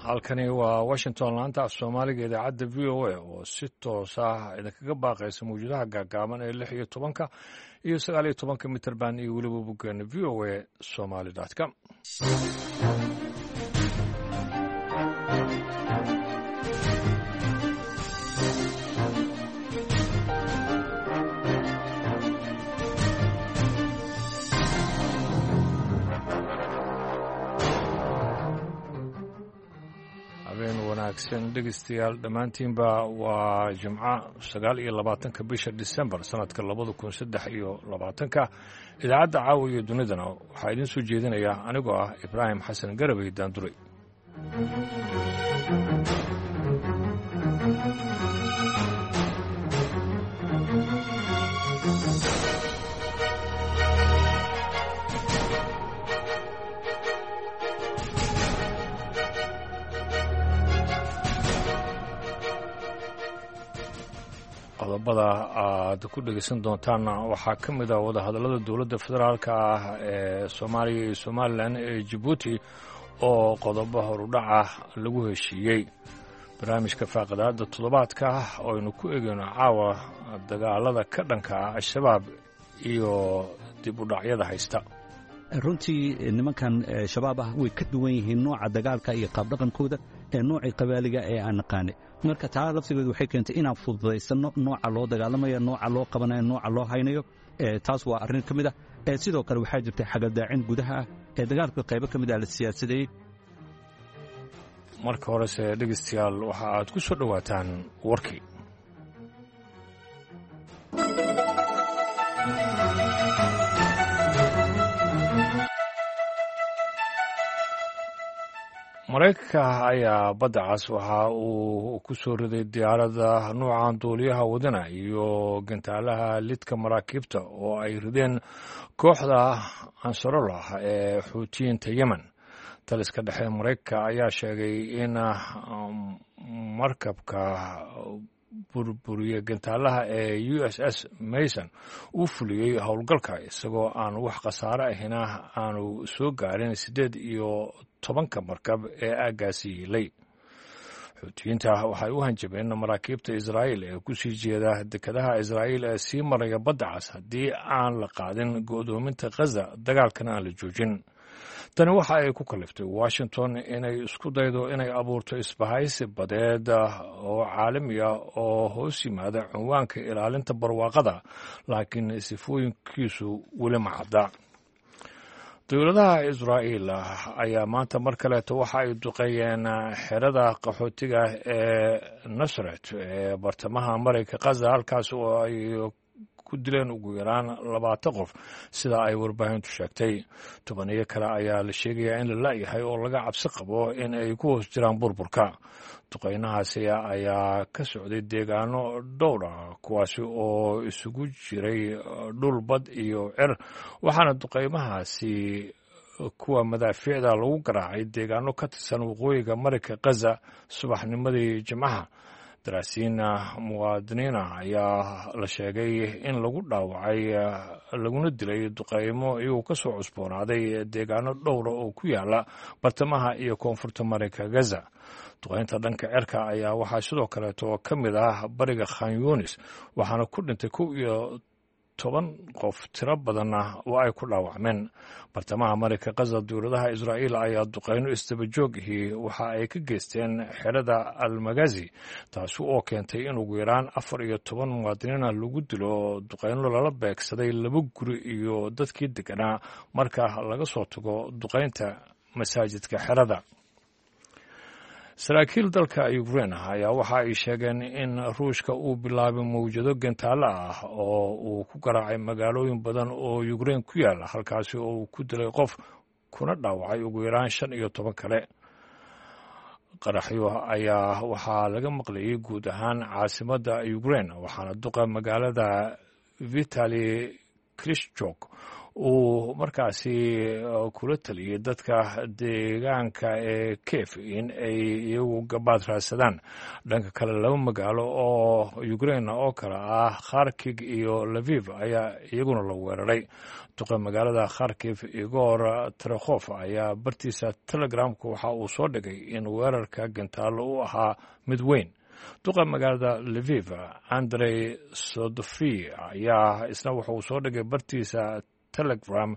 Halkani waa Washington, laanta af Soomaaliga, idaacadda VOA oo si toos ah idinkaga baaqaysa mawjadaha gaagaaban ee 16-ka iyo 19-ka mitrband iyo weliba boggeena voasomali.com. Habeen wanaagsan, dhegeystayaal dhammaantiinba. Waa Jimco, 29-ka bisha Disembar, sanadka 2023-ka. Idaacadda caawa iyo dunidana waxaa idiin soo jeedinaya anigoo ah Ibraahim Xasan Garabey Daanduray. Qodobada aad ku dhegeysan doontaanna waxaa ka mid ah wadahadallada dowladda federaalka ah ee Soomaaliya iyo Somalilan ee Jabuuti oo qodobo horudhaca lagu heshiiyey. Barnaamijka faaqidaada toddobaadka oo aynu ku egeyno caawa dagaalada ka dhanka ah Al-Shabaab iyo dib u dhacyada haysta. Runtii nimankan Shabaab ah way ka duwan yihiin nooca dagaalka iyo qaabdhaqankooda ee noocii qabaaliga ee aan naqaanay. Marka taa laftigeedu waxay keentay inaan fududaysanno nooca loo dagaalamayo, nooca loo qabanayo, nooca loo haynayo. Taas waa arrin ka mid ah. Sidoo kale waxaa jirtay xagaldaacin gudaha ah ee dagaalka qaybo ka mid ah la siyaasadeeyey. Marka horese, dhegeystayaal, waxa aad ku soo dhowaataan warkii. Maraykanka ayaa Badda Cas waxa uu ku soo riday diyaaradda nuucan duuliyaha wadana iyo gantaalaha lidka maraakiibta oo ay rideen kooxda Ansarollah ee Xuutiyiinta Yemen. Taliska dhexe Maraykanka ayaa sheegay in markabka burburiya gantaalaha ee USS Mason uu fuliyey howlgalka isagoo aan wax khasaare ahina aanu soo gaarin 18-ka markab ee aaggaasi yiilay. Xuutiyiinta waxay u hanjabeen maraakiibta Israa'iil ee ku sii jeeda dekedaha Israa'iil ee sii maraya Badda Cas haddii aan la qaadin go'doominta Khaza, dagaalkana aan la joojin. Tani waxa ay ku kaliftay Washington inay isku daydo inay abuurto isbahaysi badeed oo caalami ah oo hoos yimaada cinwaanka ilaalinta barwaaqada, laakiin sifooyinkiisu weli ma cadda. Dowladaha Israa'iil ayaa maanta mar kaleeto waxa ay duqeeyeen xerada qaxootiga ee Nasret ee bartamaha Marayka Khaza, halkaas oo ay ku dileen ugu yaraan 20 qof, sida ay warbaahintu sheegtay. Tobaniyo kale ayaa la sheegayaa in la la'yahay oo laga cabsi qabo in ay ku hoos jiraan burburka. Duqeynahaasi ayaa ka socday deegaano dhowr ah, kuwaasi oo isugu jiray dhul, bad iyo cer, waxaana duqeymahaasi kuwa madaafiicda lagu garaacay deegaano ka tirsan waqooyiga Marayka Khaza subaxnimadii Jimcaha. Daraasiin muwaadiniina ayaa la sheegay in lagu dhaawacay laguna dilay duqeymo iyagoo ka soo cusboonaaday deegaano dhowra oo ku yaala bartamaha iyo koonfurta Marayka Gaza. Duqeynta dhanka cerka ayaa waxaa sidoo kaleeto ka mid ah bariga Khan Yunis, waxaana ku dhintay 11 qof, tiro badanna oo ay ku dhaawacmeen. Bartamaha Marayka Khaza, dowladaha Israa'iil ayaa duqeyno isdabajoogihii waxa ay ka geysteen xerada Almagazi, taasi oo keentay in ugu yaraan 14 muwaadiniina lagu dilo duqeyno lala beegsaday laba guri iyo dadkii deganaa, marka laga soo tago duqeynta masaajidka xerada. Saraakiil dalka Ukrein ayaa waxa ay sheegeen in Ruushka uu bilaabay mawjado gantaalo ah oo uu ku garaacay magaalooyin badan oo Ukrein ku yaala, halkaasi oo uu ku dilay qof kuna dhaawacay ugu yaraan 15 kale. Qaraxyo ayaa waxaa laga maqlayay guud ahaan caasimadda Ukrein, waxaana duqa magaalada Vitali Klishchok uu markaasi kula taliyey dadka deegaanka ee kiev in ay iyagu gabaad raadsadaan. Dhanka kale, laba magaalo oo ukrain oo kale ah, Kharkig iyo Laviv, ayaa iyaguna la weeraray. Duqa magaalada Kharkiv, Igor Trekhof, ayaa bartiisa Telegramka waxa uu soo dhigay in weerarka gantaalo u ahaa mid weyn. Duqa magaalada Liviv, Andrey Sodofi, ayaa isna wuxuu soo dhigay bartiisa Telegram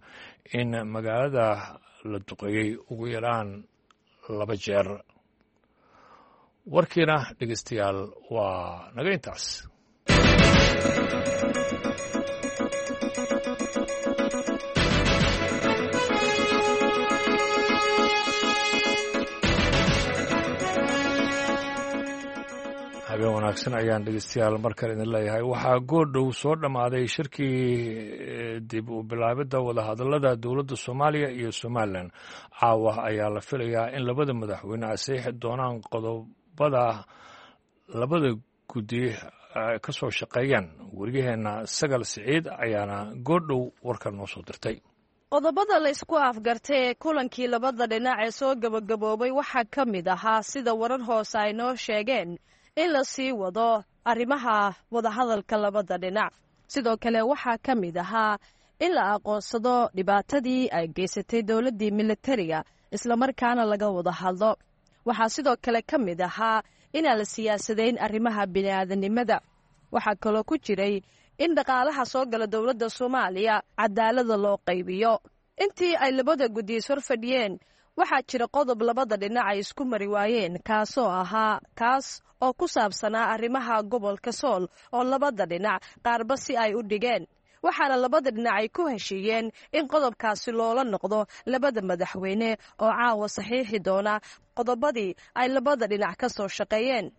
in magaalada la duqeeyey ugu yaraan laba jeer. Warkiina, dhegeystayaal, waa naga intaas. Habeen wanaagsan ayaan, dhegeystayaal, mar kale idin leeyahay. Waxaa goordhow soo dhammaaday shirkii dib u bilaabidda wadahadallada dowladda Soomaaliya iyo Somalilan. Caawa ayaa la filayaa in labada madaxweyne ay saxiixi doonaan qodobada labada guddi ka soo shaqeeyaan. Wariyaheenna Sagal Siciid ayaana goordhow warkan noo soo dirtay. Qodobada la isku afgartay ee kulankii labada dhinac ee soo gebagaboobay waxaa ka mid ahaa, sida warar hoose ay noo sheegeen, in la sii wado arrimaha wadahadalka labada dhinac. Sidoo kale waxaa ka mid ahaa in la aqoonsado dhibaatadii ay geysatay dowladdii militariga, islamarkaana laga wada hadlo. Waxaa sidoo kale ka mid ahaa inaan la siyaasadayn arrimaha bini'aadanimada. Waxaa kaloo ku jiray in dhaqaalaha soo gala dowladda Soomaaliya cadaalada loo qaybiyo. Intii ay labada guddi is horfadhiyeen, waxaa jira qodob labada dhinac ay isku mari waayeen, kaasoo ahaa kaas oo ku saabsanaa arrimaha gobolka Sool, oo labada dhinac qaarba si ay u dhigeen. Waxaana labada dhinac ay ku heshiiyeen in qodobkaasi loola noqdo labada madaxweyne oo caawa saxiixi doona qodobadii ay labada dhinac ka soo shaqeeyeen.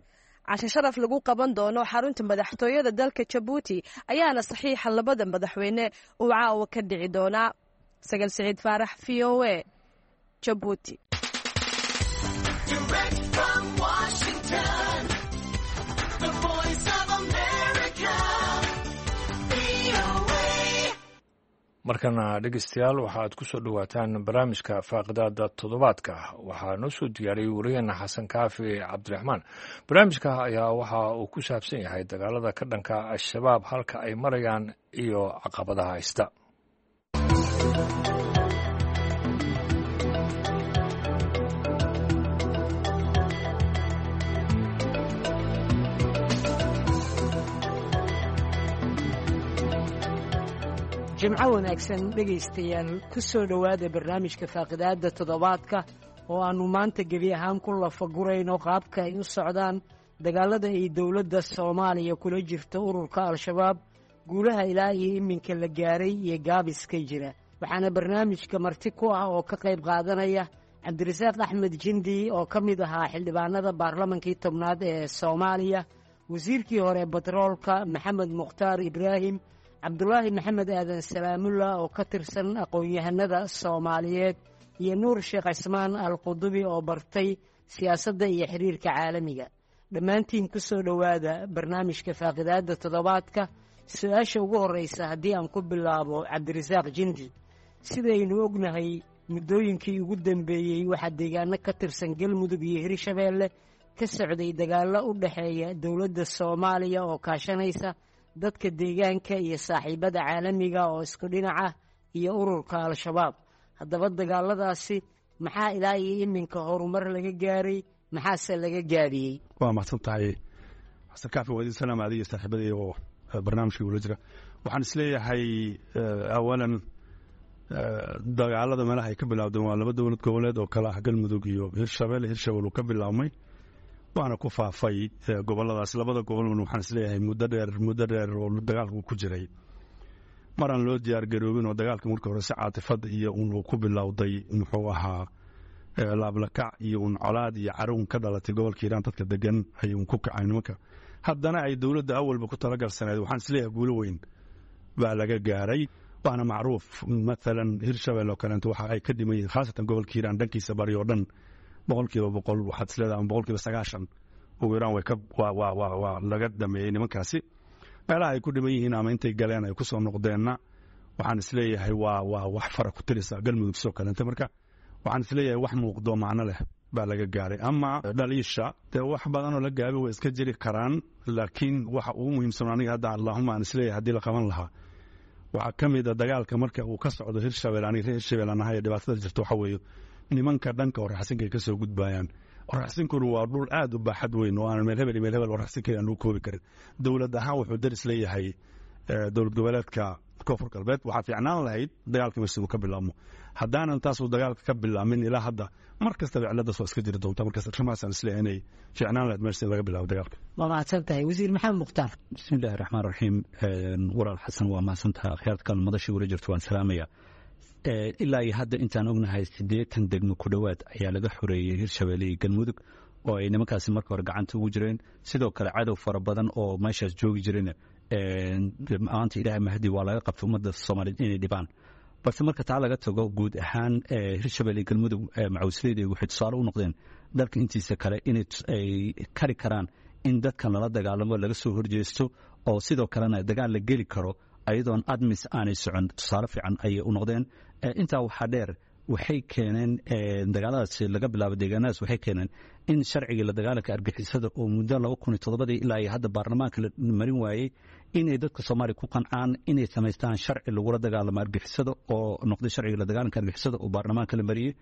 Cashe sharaf lagu qaban doono xarunta madaxtooyada dalka Jabuuti ayaana saxiixa labada madaxweyne uu caawa ka dhici doonaa. Sagal Siciid Faarax, VOA, Jabuuti. Direct from Washington, the Voice of America, VOA. Markana, dhegeystayaal, waxaad ku soo dhowaataan barnaamijka faaqidaada toddobaadka. Waxaa noo soo diyaariyey wariyaheena Xasan Kaafi Cabdiraxmaan. Barnaamijka ayaa waxa uu ku saabsan yahay dagaalada ka dhanka Al-Shabaab, halka ay marayaan iyo caqabadaha haysta. Jimco wanaagsan, dhegaystayaal. Ku soo dhowaada barnaamijka faaqidaadda toddobaadka oo aannu maanta gebi ahaan ku lafagurayno qaabka ay u socdaan dagaallada ay dowladda Soomaaliya kula jirto ururka Al-Shabaab, guulaha ilaa iyo iminka la gaaray iyo gaabiska jira. Waxaana barnaamijka marti ku ah oo ka qayb qaadanaya Cabdirasaaq Axmed Jindi oo ka mid ahaa xildhibaanada baarlamankii 10aad ee Soomaaliya, wasiirkii hore batroolka Maxamed Mukhtaar Ibraahim, Cabdulaahi Maxamed Aadan Salaamulla oo ka tirsan aqoon-yahanada Soomaaliyeed, iyo Nuur Sheekh Cismaan Al Qudubi oo bartay siyaasadda iyo xiriirka caalamiga. Dhammaantiin ku soo dhowaada barnaamijka faaqidaadda toddobaadka. Su-aasha ugu horraysa haddii aan ku bilaabo Cabdirasaaq Jindi, sidaynu ognahay, muddooyinkii ugu dambeeyey waxaa deegaano ka tirsan Galmudug iyo Hirshabeelle ka socday dagaallo u dhexeeya dowladda Soomaaliya oo kaashanaysa dadka deegaanka iyo saaxiibada caalamiga oo isku dhinac ah iyo ururka Al-Shabaab. Haddaba dagaaladaasi maxaa ilaa iyo iminka horumar laga gaaray, maxaase laga gaabiyey? Waa mahadsan tahay, Xasan Kaafi. Waa idin salaam, adiga saaxiibadii oo barnaamijka ula jira. Waxaan isleeyahay, awalan, dagaalada meelaha ay ka bilaabdeen waa laba dowlad goboleed oo kale ah Galmudug iyo Hirshabelle. Hirshabelle uu ka bilaabmay, waana ku faafay goboladaas. Labada gobolna waxaan isleeyahay muddo dheer, muddo dheer oo dagaalku ku jiray, maraan loo diyaar garoobin oo dagaalka marka hore si caatifad iyo un uu ku bilowday, muxuu ahaa, laablakac iyo un colaad iyo caruun ka dhalatay gobolka Hiiraan dadka degan ay un ku kacay nimanka, haddana ay dowladda awalba ku talagalsaneed, waxaan isleeyahay guulo weyn baa laga gaaray. Waana macruuf, maalan Hirshabelle oo kaleeto waxa ay ka dhiman yihiin, khaasatan gobolka Hiiraan dhankiisa bari oo dhan, 100% waxaad isleedahay ama 90% ugu yaraan way ka waa laga dhameeyey nimankaasi. Meelaha ay ku dhiman yihiin ama intay galeen ay ku soo noqdeenna Waxaan isleeyahay waa wax fara ku tirisa Galmudug soo kalenta. Marka waxaan isleeyahay wax muuqdo macno leh baa laga gaaray. Ama dhaliisha dee wax badanoo la gaabi way iska jiri karaan, laakiin waxa ugu muhiimsan aniga hadda allahuma aan isleeyahay haddii la qaban lahaa waxaa ka mid a dagaalka marka uu ka socdo Hirshabelle. Aniga reer Hirshabelle aan ahay, dhibaatada jirta waxa weeye nimanka dhanka Oraxsinka ay ka soo gudbayaan. Oraxsinkuna waa dhul aad u baaxad weyn oo aan meel hebel iyo meel hebel Oraxsinka aan lagu koobi karin. Dowlad ahaan wuxuu daris leeyahay dowlad goboleedka Koonfur Galbeed. Waxaa fiicnaan lahayd dagaalka meesha uu ka bilaabmo. Haddaanan taasuu dagaalka ka bilaabmin ilaa hadda, mar kastaba ciladaas waa iska jiri doonta. Markaas arrimahaasaan isleeyahay inay fiicnaan lahayd meesha in laga bilaabo dagaalka. Waa mahadsan tahay, Wasiir Maxamed Mukhtaar. Bismi illahi raxmaan raxiim. Walaal Xasan, waa mahadsantaha. Akhyaarta kale madashii wala jirto waan salaamaya. Ilaa iyo hadda intaan ognahay 80 degmo ku dhowaad ayaa laga xoreeyey Hirshabeelle iyo Galmudug oo ay nimankaasi marka hore gacanta ugu jireen. Sidoo kale cadow fara badan oo meeshaas joogi jireen maanta Ilaahay mahdi waa laga qabtay ummadda Soomaaliyeed inay dhibaan. Balse marka taa laga tago, guud ahaan Hirshabelle iyo Galmudug macawisleyda waxay tusaale u noqdeen dalka intiisa kale inay ay kari karaan in dadkan lala dagaalamo, laga soo horjeesto, oo sidoo kalena dagaal la geli karo ayadoon ATMIS aanay socon. Tusaale fiican ayay u noqdeen. Intaa waxaa dheer, waxay keeneen dagaaladaas laga bilaabo deegaanadaas, waxay keeneen in sharcigii la dagaalanka argixisada oo muddo 2007-dii ilaa iyo hadda baarlamaanka la marin waayey inay dadka Soomaaliya ku qancaan inay samaystaan sharci lagula dagaalamo argixisada oo noqday sharciga la dagaalanka argixisada oo baarlamaanka la mariyey.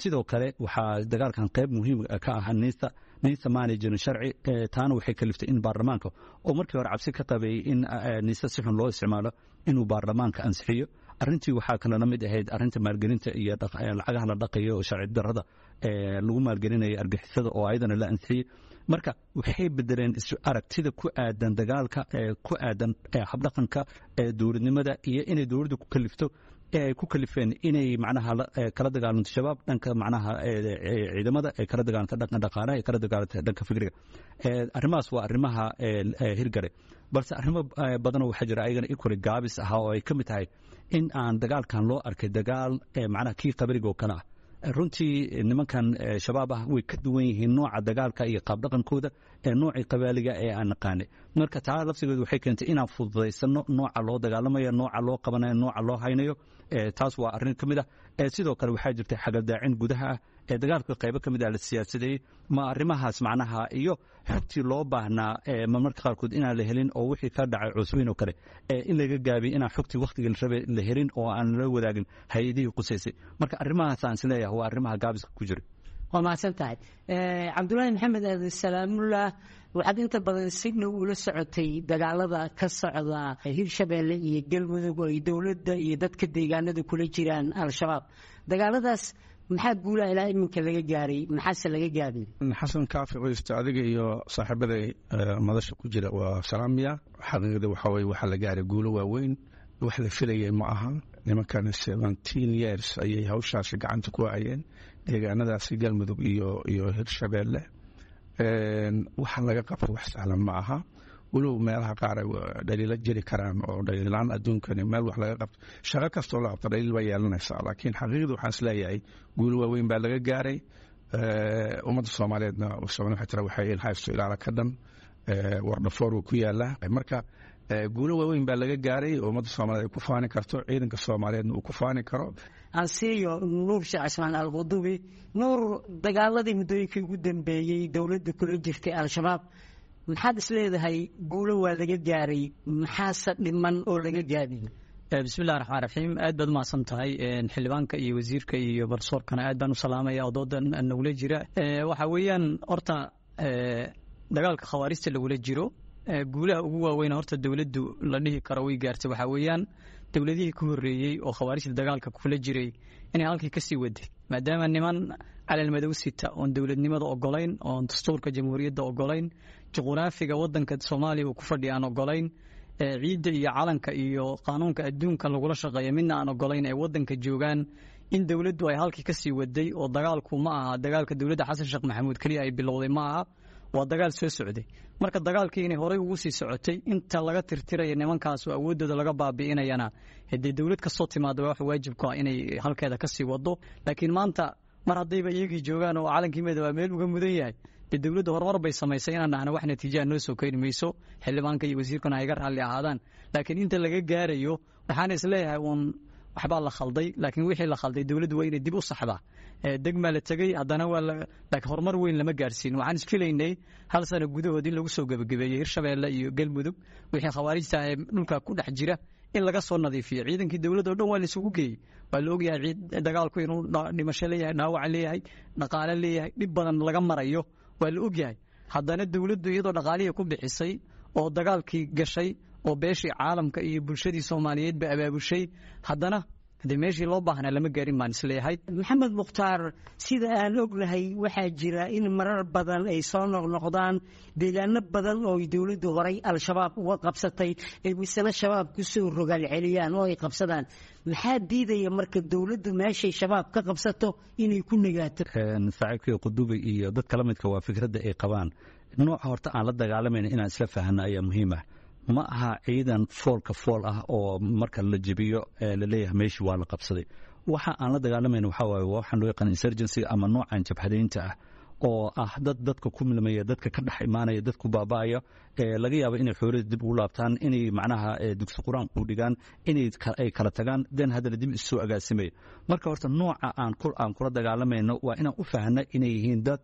Sidoo kale waxaa dagaalkan qayb muhiim ka ahaa NISA. NISA maanay jirin sharci, taana waxay kaliftay in baarlamaanka oo markii hore cabsi ka qabay in NISA si xun loo isticmaalo inuu baarlamaanka ansixiyo arrintii. Waxaa kale la mid ahayd arrinta maalgelinta iyo lacagaha la dhaqayo oo sharci darrada lagu maalgelinayo argixisada oo ayadana la ansixiyey. Marka waxay bedeleen aragtida ku aadan dagaalka, ku aadan habdhaqanka dowladnimada iyo inay dowladdu ku kalifto ee ay ku kalifeen inay macnaha kala dagaalanto Shabaab dhanka macnaha ciidamada, ay kala dagaalanto dhanka dhaqaalaha, ay kala dagaalanto dhanka fikriga. Arrimahaas waa arrimaha hirgare. Balse arrimo badanoo waxaa jira ayagana equally gaabis ahaa oo ay ka mid tahay in aan dagaalkan loo arkay dagaal macnaha kii qabriga oo kale ah. Runtii nimankan Shabaab ah way ka duwan yihiin nooca dagaalka iyo qaabdhaqankooda ee noocii qabaaliga ee aan naqaanay. Marka taa laftigeedu waxay keentay inaan fududaysano nooca loo dagaalamayo, nooca loo qabanayo, nooca loo haynayo. Taas waa arrin ka mid ah. Sidoo kale waxaa jirtay xagaldaacin gudaha ah ee dagaalka qaybo ka mid ah la siyaasadeeyey. Ma arrimahaas macnaha iyo xogtii loo baahnaa marmarka qaarkood inaan la helin oo wixii ka dhacay Cusweyn oo kale in laga gaabiyey inaan xogtii wakhtigii la rabay la helin oo aan la wadaagin hay-adihii qusaysay. Marka arrimahaas aan isleeyahay waa arrimaha gaabiska ku jira. Waa mahadsan tahay, Cabdulaahi Maxamed Aadan Salaamullah. Waxaad inta badan si dhow ula socotay dagaalada ka socda Hirshabeelle iyo Galmudug oo ay dowladda iyo dadka deegaanada kula jiraan Al-Shabaab. Dagaaladaas maxaa guulaha ilaa iminka laga gaaray, maxaase laga gaabiyey? Xasan Kaafi Qoysta, adiga iyo saaxiibaday madasha ku jira waa salaamiya. Xaqiiqda waxaa weye waxaa la gaaray guulo waaweyn, wax la filayay ma aha. Nimankan 17 years ayay hawshaasi gacanta ku hayeen deegaanadaasi Galmudug iyo Hirshabeelle. Waxa laga qabto wax sahlan ma aha, walow meelaha qaar ay dhaliilo jiri karaan oo dhaliilaan adduunkani meel wax laga qabto, shaqo kastoo la qabto dhaliil baa yeelanaysaa. Laakiin xaqiiqda waxaan isleeyahay guulo waaweyn baa laga gaaray. Ummadda Soomaaliyeedna Soomaali waxay tira waxay ilhaysto ilaala ka dhan wardhafoor uu ku yaalaa. Marka guulo waaweyn baa laga gaaray oo ummadda Soomaaliyeed ay ku faani karto, ciidanka Soomaaliyeedna uu ku faani karo. Ansiiyo Nuur Sheekh Cismaan Alqudubi. Nuur, dagaaladii muddooyinkii ugu dambeeyey dowladda kula jirtay Al-Shabaab, maxaad isleedahay guulo waa laga gaaray, maxaase dhiman oo laga gaabiyey? Bismillahi raxmaan raxiim. Aad baad umahadsan tahay xildhibaanka iyo wasiirka iyo barsoorkana aad baan u salaamaya oo doodan nagula jira. Waxa weeyaan horta dagaalka khawaarijta lagula jiro, guulaha ugu waaweyn horta dowladdu la dhihi karo way gaartay waxaa weeyaan dowladihii ka horreeyey oo khawaarijta dagaalka kula jiray inay halkii kasii waday, maadaama niman calal madow sita oon dowladnimada ogolayn, oon dastuurka jamhuuriyadda ogolayn, juquraafiga wadanka Soomaaliya uu ku fadhiya aan ogolayn, ciidda iyo calanka iyo qaanuunka adduunka lagula shaqeeya midna aan ogolayn ay wadanka joogaan, in dowladdu ay halkii kasii waday. Oo dagaalku ma aha dagaalka dowladda Xasan Sheekh Maxamuud keliya ay bilowday, ma aha, waa dagaal soo socday. Marka dagaalkii inay horey ugu sii socotay inta laga tirtiraya nimankaas oo awooddooda laga baabi'inayana, haddii dowlad kasoo timaada waa wax waajib ku ah inay halkeeda kasii wado. Laakiin maanta mar haddayba iyagii joogaan oo calankii midoobaa meel uga mudan yahay, dee dowladda horumar bay samaysay inaan dhahno wax natiijaa noo soo keeni mayso. Xildhibaanka iyo wasiirkuna ay iga raalli ahaadaan, laakiin inta laga gaarayo Waxaan isleeyahay uun waxbaa la khalday, laakiin wixii la khalday dowladdu waa inay dib u saxdaa. Degmaa la tegey, haddana waa laakiin horumar weyn lama gaarsiin. Waxaan isfilaynay hal sano gudahood in lagu soo gebagabeeyey Hirshabeelle iyo Galmudug wixii khawaarijta ee dhulka ku dhex jira in laga soo nadiifiyo. Ciidankii dowladda o dhan waa la isugu geeyey. Waa la ogyahay ciid dagaalku inuu dhimasho leeyahay, dhaawac leeyahay, dhaqaale leeyahay, dhib badan laga marayo waa la ogyahay. Haddana dowladdu iyadoo dhaqaalihii ku bixisay oo dagaalkii gashay oo beeshii caalamka iyo bulshadii Soomaaliyeed ba abaabushay, haddana dee meeshii loo baahnaa lama gaarin baan isleeyahay. Maxamed Mukhtaar, sida aan ognahay waxaa jira in marar badan ay soo noqnoqdaan deegaano badan oo ay dowladdu horay Al-Shabaab uga qabsatay ay misena Shabaab ku soo rogaal celiyaan oo ay qabsadaan. Maxaa diidaya marka dowladdu meeshay Shabaab ka qabsato inay ku nagaato? Saaxiibkii Qudubi iyo dadka la midka waa fikradda ay qabaan. Nooca horta aan la dagaalamayna inaan isla fahanno ayaa muhiim ah. Ma aha ciidan foolka fool ah oo marka la jebiyo la leeyahay meeshii waa la qabsaday. Waxa aan la dagaalamayna waxaa waaye waxaan loo yaqaan insurgency ama noocan jabhadaynta ah oo ah dad dadka ku milmaya, dadka ka dhex imaanaya, dadku baaba'aya, laga yaabo inay xoolada dib ugu laabtaan, inay macnaha dugsi qur-aan ku dhigaan, inay ay kala tagaan, den haddana dib isu agaasimaya. Marka horta nooca aan kula dagaalamayno waa inaan u fahanna inay yihiin dad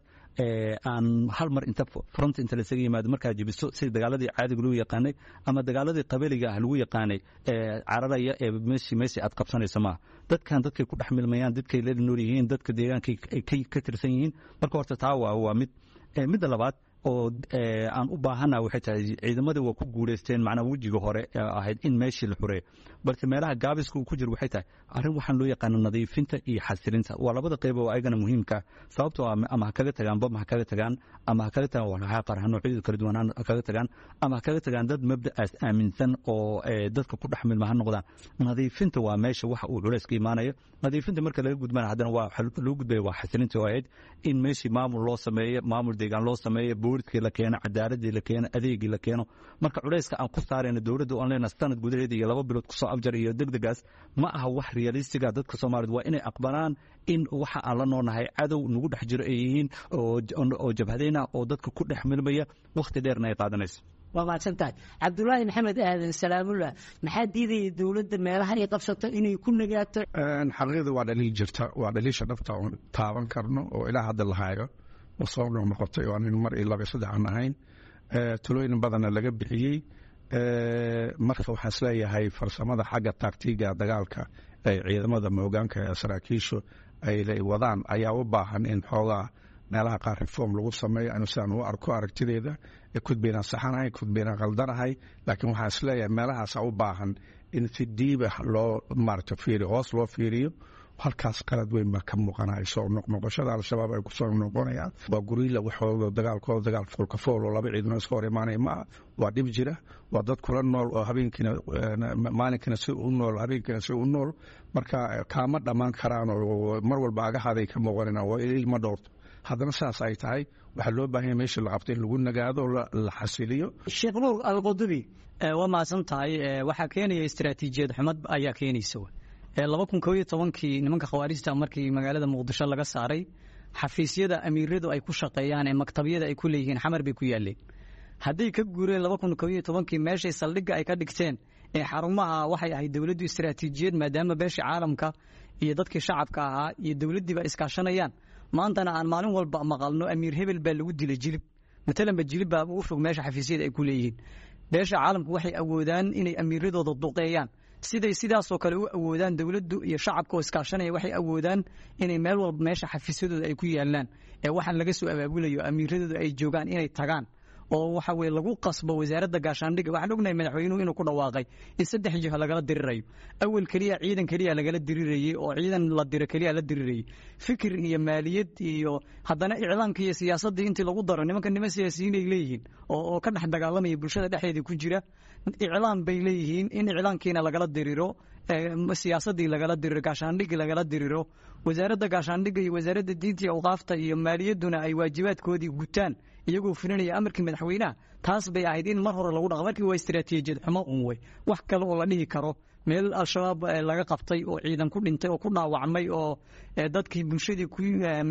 aan hal mar inta front inta lasaga yimaado markaa jebiso sida dagaaladii caadiga lagu yaqaanay ama dagaaladii qabaliga ah lagu yaqaanay cararaya ee meeshii aad qabsanayso maaha. Dadkan dadkay ku dhex milmayaan, dadkay la nool yihiin, dadka deegaanka ay ka tirsan yihiin. Marka horta taa waa mid. Midda labaad oo aan u baahana waxay tahay ciidamadii waa ku guulaysteen macnaha wejiga hore ahayd in meeshii la xureeyo, balse meelaha gaabiska uu ku jiro waxay tahay arrin waxaan loo yaqaano nadiifinta iyo xasilinta. Waa labada qayb oo ayagana muhiimka, sababtoo ah ama ha kaga tagaan bam, ha kaga tagaan ama ha kaga tagaan walxaha qarxa noocyadooda kala duwan, ha kaga tagaan ama ha kaga tagaan dad mabda'aas aaminsan oo dadka ku dhex milma ha noqdaan. Nadiifinta waa meesha waxa uu culays ka imaanayo. Nadiifinta marka laga gudbana haddana waa loo gudbaya waa xasilinta oo ahayd in meeshii maamul loo sameeyo, maamul deegaan loo sameeyo, booliskii la keeno, cadaaladii la keeno, adeegii la keeno. Marka culayska aan ku saarayna dowladda oon leenahay sanad gudaheeda iyo 2 bilood kusoo afjar iyo degdegaas ma aha wax realistiga. Dadka Soomaaliyed waa inay aqbalaan in waxa aan la noolnahay cadow nagu dhex jiro ay yihiin oo jabhadayna oo dadka ku dhex milmaya, wakhti dheerna ay qaadanayso. Waa mahadsan tahay. Cabdulaahi Maxamed Aadan Salaamullah, maxaa diidaya dowladda meelaha ay qabsato inay ku nagaato? Xaqiiqda waa dhaliil jirta, waa dhaliisha dhabta oon taaban karno oo ilaa hadda la hayo oo soo noqnoqotay oo aan mar iyo laba iyo saddex aan ahayn, talooyin badanna laga bixiyey. Marka waxaan isleeyahay farsamada xagga taagtiga dagaalka ay ciidamada moogaanka ee saraakiishu ay wadaan ayaa u baahan in xoogaa meelaha qaar reform lagu sameeyo. Anu sidaan u arko aragtideeda kudbaynaan saxanahay, kudbaynaan qaldanahay, laakiin waxaan isleeyahay meelahaasa u baahan in si diiba loo maarata fiiriyo, hoos loo fiiriyo. Halkaas qalad weyn baa ka muuqanaya. Soo noqnoqoshada Al-Shabaab ay kusoo noqonayaan waa guriila waxooda dagaalkooda dagaal foolka fool oo laba ciidano iska hor imaanaya ma aha. Waa dhib jira, waa dad kula nool oo habeenkiina maalinkina si u nool, habeenkiina si u nool. Marka kaama dhammaan karaan oo mar walba agahaday ka muuqanayaan, waa ilma dhowrto. Haddana saas ay tahay waxaa loo baahan yahay meesha la qabto in lagu nagaado, la xasiliyo. Sheekh Nuur Alqudubi. Waa mahadsan tahay. Waxaa keenaya istaraatiijiyad xumad ayaa keenaysa. 2011-kii nimanka khawaarijta markii magaalada Muqdisho laga saaray, xafiisyada amiiradu ay ku shaqeeyaan ee maktabyada ay ku leeyihiin Xamar bay ku yaaleen. Hadday ka guureen 2011-kii meeshay saldhigga ay ka dhigteen ee xarumaha, waxay ahayd dowladdu istaraatiijiyad, maadaama beeshii caalamka iyo dadkii shacabka ahaa iyo dowladdiiba iskaashanayaan. Maantana aan maalin walba maqalno amiir hebel baa lagu dilay Jilib matalanba, Jilib baa ugu fog meesha xafiisyada ay ku leeyihiin. Beesha caalamku waxay awoodaan inay amiiradooda duqeeyaan, siday sidaasoo kale u awoodaan dowladdu iyo shacabka oo iskaashanaya waxay awoodaan inay meel walba meesha xafiisyadooda ay ku yaalaan ee waxaan laga soo abaabulayo amiiradooda ay joogaan inay tagaan oo waxa weye lagu qasbo wasaaradda gaashaandhigga. Waxaan ognahay madaxweynuhu inuu ku dhawaaqay in 3 jiho lagala dirirayo. Awal keliya ciidan keliya lagala dirirayey oo ciidan la diro keliya la dirirayey, fikir iyo maaliyad iyo haddana iclaamka iyo siyaasaddii intii lagu daro. Nimanka niman siyaasiyiin ay leeyihiin oo ka dhex dagaalamaya bulshada dhexdeeda ku jira, iclaam bay leeyihiin, in iclaamkiina lagala diriro, siyaasaddii lagala diriro, gaashaandhiggii lagala diriro, wasaaradda gaashaandhigga iyo wasaaradda diinta iyo awqaafta iyo maaliyadduna ay waajibaadkoodii gutaan iyagoo fulinaya amarkii madaxweynaha. Taas bay ahayd in mar hore lagu dhaqo. Markii waa istaraatiijiyad xumo un wey, wax kale oo la dhihi karo Meel Al-Shabaab laga qabtay oo ciidan ku dhintay oo ku dhaawacmay oo dadkii bulshadii ku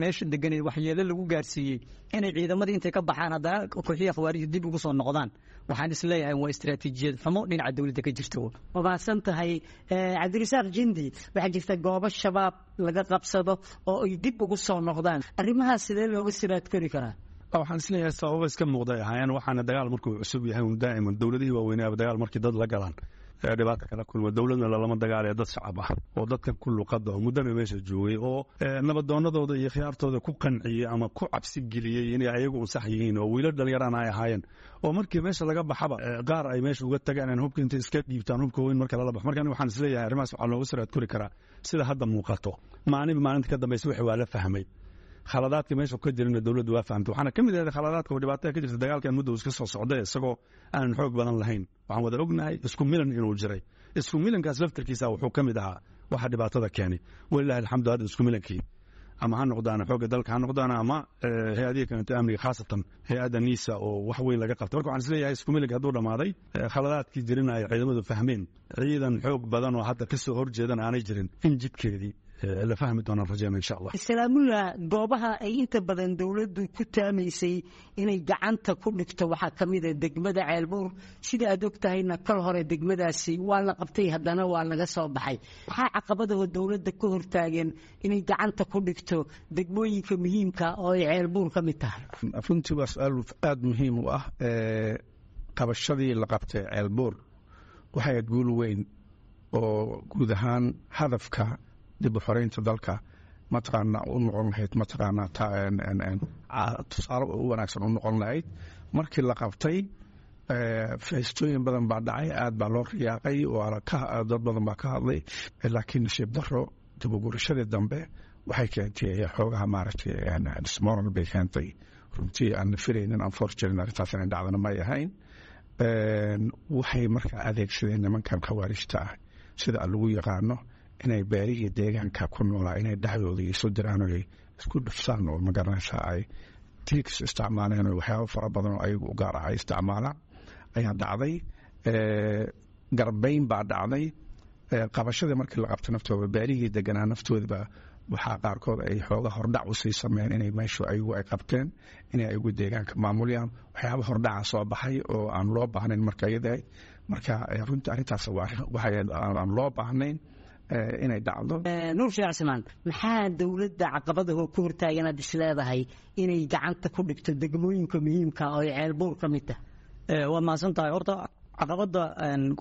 meesha deganeed waxyeelo lagu gaarsiiyey, inay ciidamadii intay ka baxaan haddana kooxihii khawaarijta dib ugu soo noqdaan, waxaan isleeyahay waa istiraatiijiyad xumo dhinaca dowladda ka jirta. Waa mahadsan tahay, Cabdirasaaq Jindi. Waxaa jirta goobo Shabaab laga qabsado oo ay dib ugu soo noqdaan. Arrimahaas sidee looga siraad kori karaa? Waxaan isleeyahay sababo iska muuqday ahaayeen, waxaana dagaal markuu cusub yahay un daa'iman dowladihii waaweynaaba dagaal markii dad la galaan dhibaata kala kulma. Dowladna lalama dagaalaya, dad shacab ah oo dadkan ku luqada oo muddana meesha joogay oo nabadoonadooda iyo khiyaartooda ku qanciyey ama ku cabsi geliyey inay ayagu un sax yihiin, oo wiilal dhalinyarana ay ahaayeen, oo markii meesha laga baxaba qaar ay meesha uga tagaan in hubka intay iska dhiibtaan, hubka weyn marka lala baxo. Marka aniga waxaan isleeyahay arrimahaas waxaa looga siraad kori karaa sida hadda muuqato, maalinba maalinta ka dambaysa wixii waa la fahmay, khaladaadka meesha ka jirana dowladdu waa fahamtay. Waxaana ka mid ahayd khaladaadka oo dhibaatada ka jirta dagaalkan muddo iska soo socday isagoo aanan xoog badan lahayn. Waxaan wada ognahay isku milan inuu jiray. Isku milankaas laftarkiisa wuxuu ka mid ahaa waxa dhibaatada keenay. Walilahi alxamdu, hadda isku milankii ama ha noqdaan xoogga dalka ha noqdaan ama hay-adihii kaleeto amniga, khaasatan hay-adda NISA oo wax weyn laga qabtay. Marka waxaan isleeyahay isku milanka hadduu dhammaaday, khaladaadkii jirina ay ciidamadu fahmeen, ciidan xoog badan oo hadda kasoo horjeedana aanay jirin, in jidkeedii la fahmi doonaan rajeyna insha Allah. Salaamullah, goobaha ay inta badan dowladdu ku taamaysay inay gacanta ku dhigto waxaa ka mid a degmada Ceelbuur. Sida aad og tahayna, kal hore degmadaasi waa la qabtay, haddana waa laga soo baxay. Maxaa caqabadaha dowladda ka hortaagan inay gacanta ku dhigto degmooyinka muhiimka oo ay Ceelbuur ka mid tahay? Runtii waa su-aal aada muhiim u ah. Qabashadii la qabtay Ceelbuur waxay ahayd guul weyn oo guud ahaan hadafka dib u xoreynta dalka mataqaanaa u noqon lahayd, mataqaanaa tusaale u wanaagsan u noqon lahayd. Markii la qabtay feestooyin badan baa dhacay, aad baa loo riyaaqay, dad badan baa ka hadlay, laakiin nasiib daro dib u gurashadii dambe waxay keentay xoogaha maaragtay dismoral bay keentay. Runtii aan la filaynin, unfortunately arrintaas inay dhacdana may ahayn. Waxay markaa adeegsadeen nimankan khawaarijta ah, sida lagu yaqaano, inay beerihii deegaanka ku noolaa inay dhexdooda isu diraan oo ay isku dhufsaan, oo magaranaysaa ay tigs isticmaaleen oo waxyaabo fara badan oo ayagu u gaar ah ay isticmaalaan ayaa dhacday. Garbayn baa dhacday. Qabashadii markii la qabto naftooda beerihii deganaa naftoodaba waxaa qaarkood ay xooga hordhac usii sameeyeen inay meeshu ayagu ay qabteen, inay ayagu deegaanka maamulyaan. Waxyaaba hordhaca soo baxay oo aan loo baahnayn marka iyada. Marka runtii arrintaas waxay aan loo baahnayn inay dhacdo. Nuur Sheekh Cismaan, maxaa dowladda caqabadaha ku hortaagan aad is leedahay inay gacanta ku dhigto degmooyinka muhiimka oo ay Ceelbuur ka mid tahay? Waad mahadsan tahay. Horta caqabadda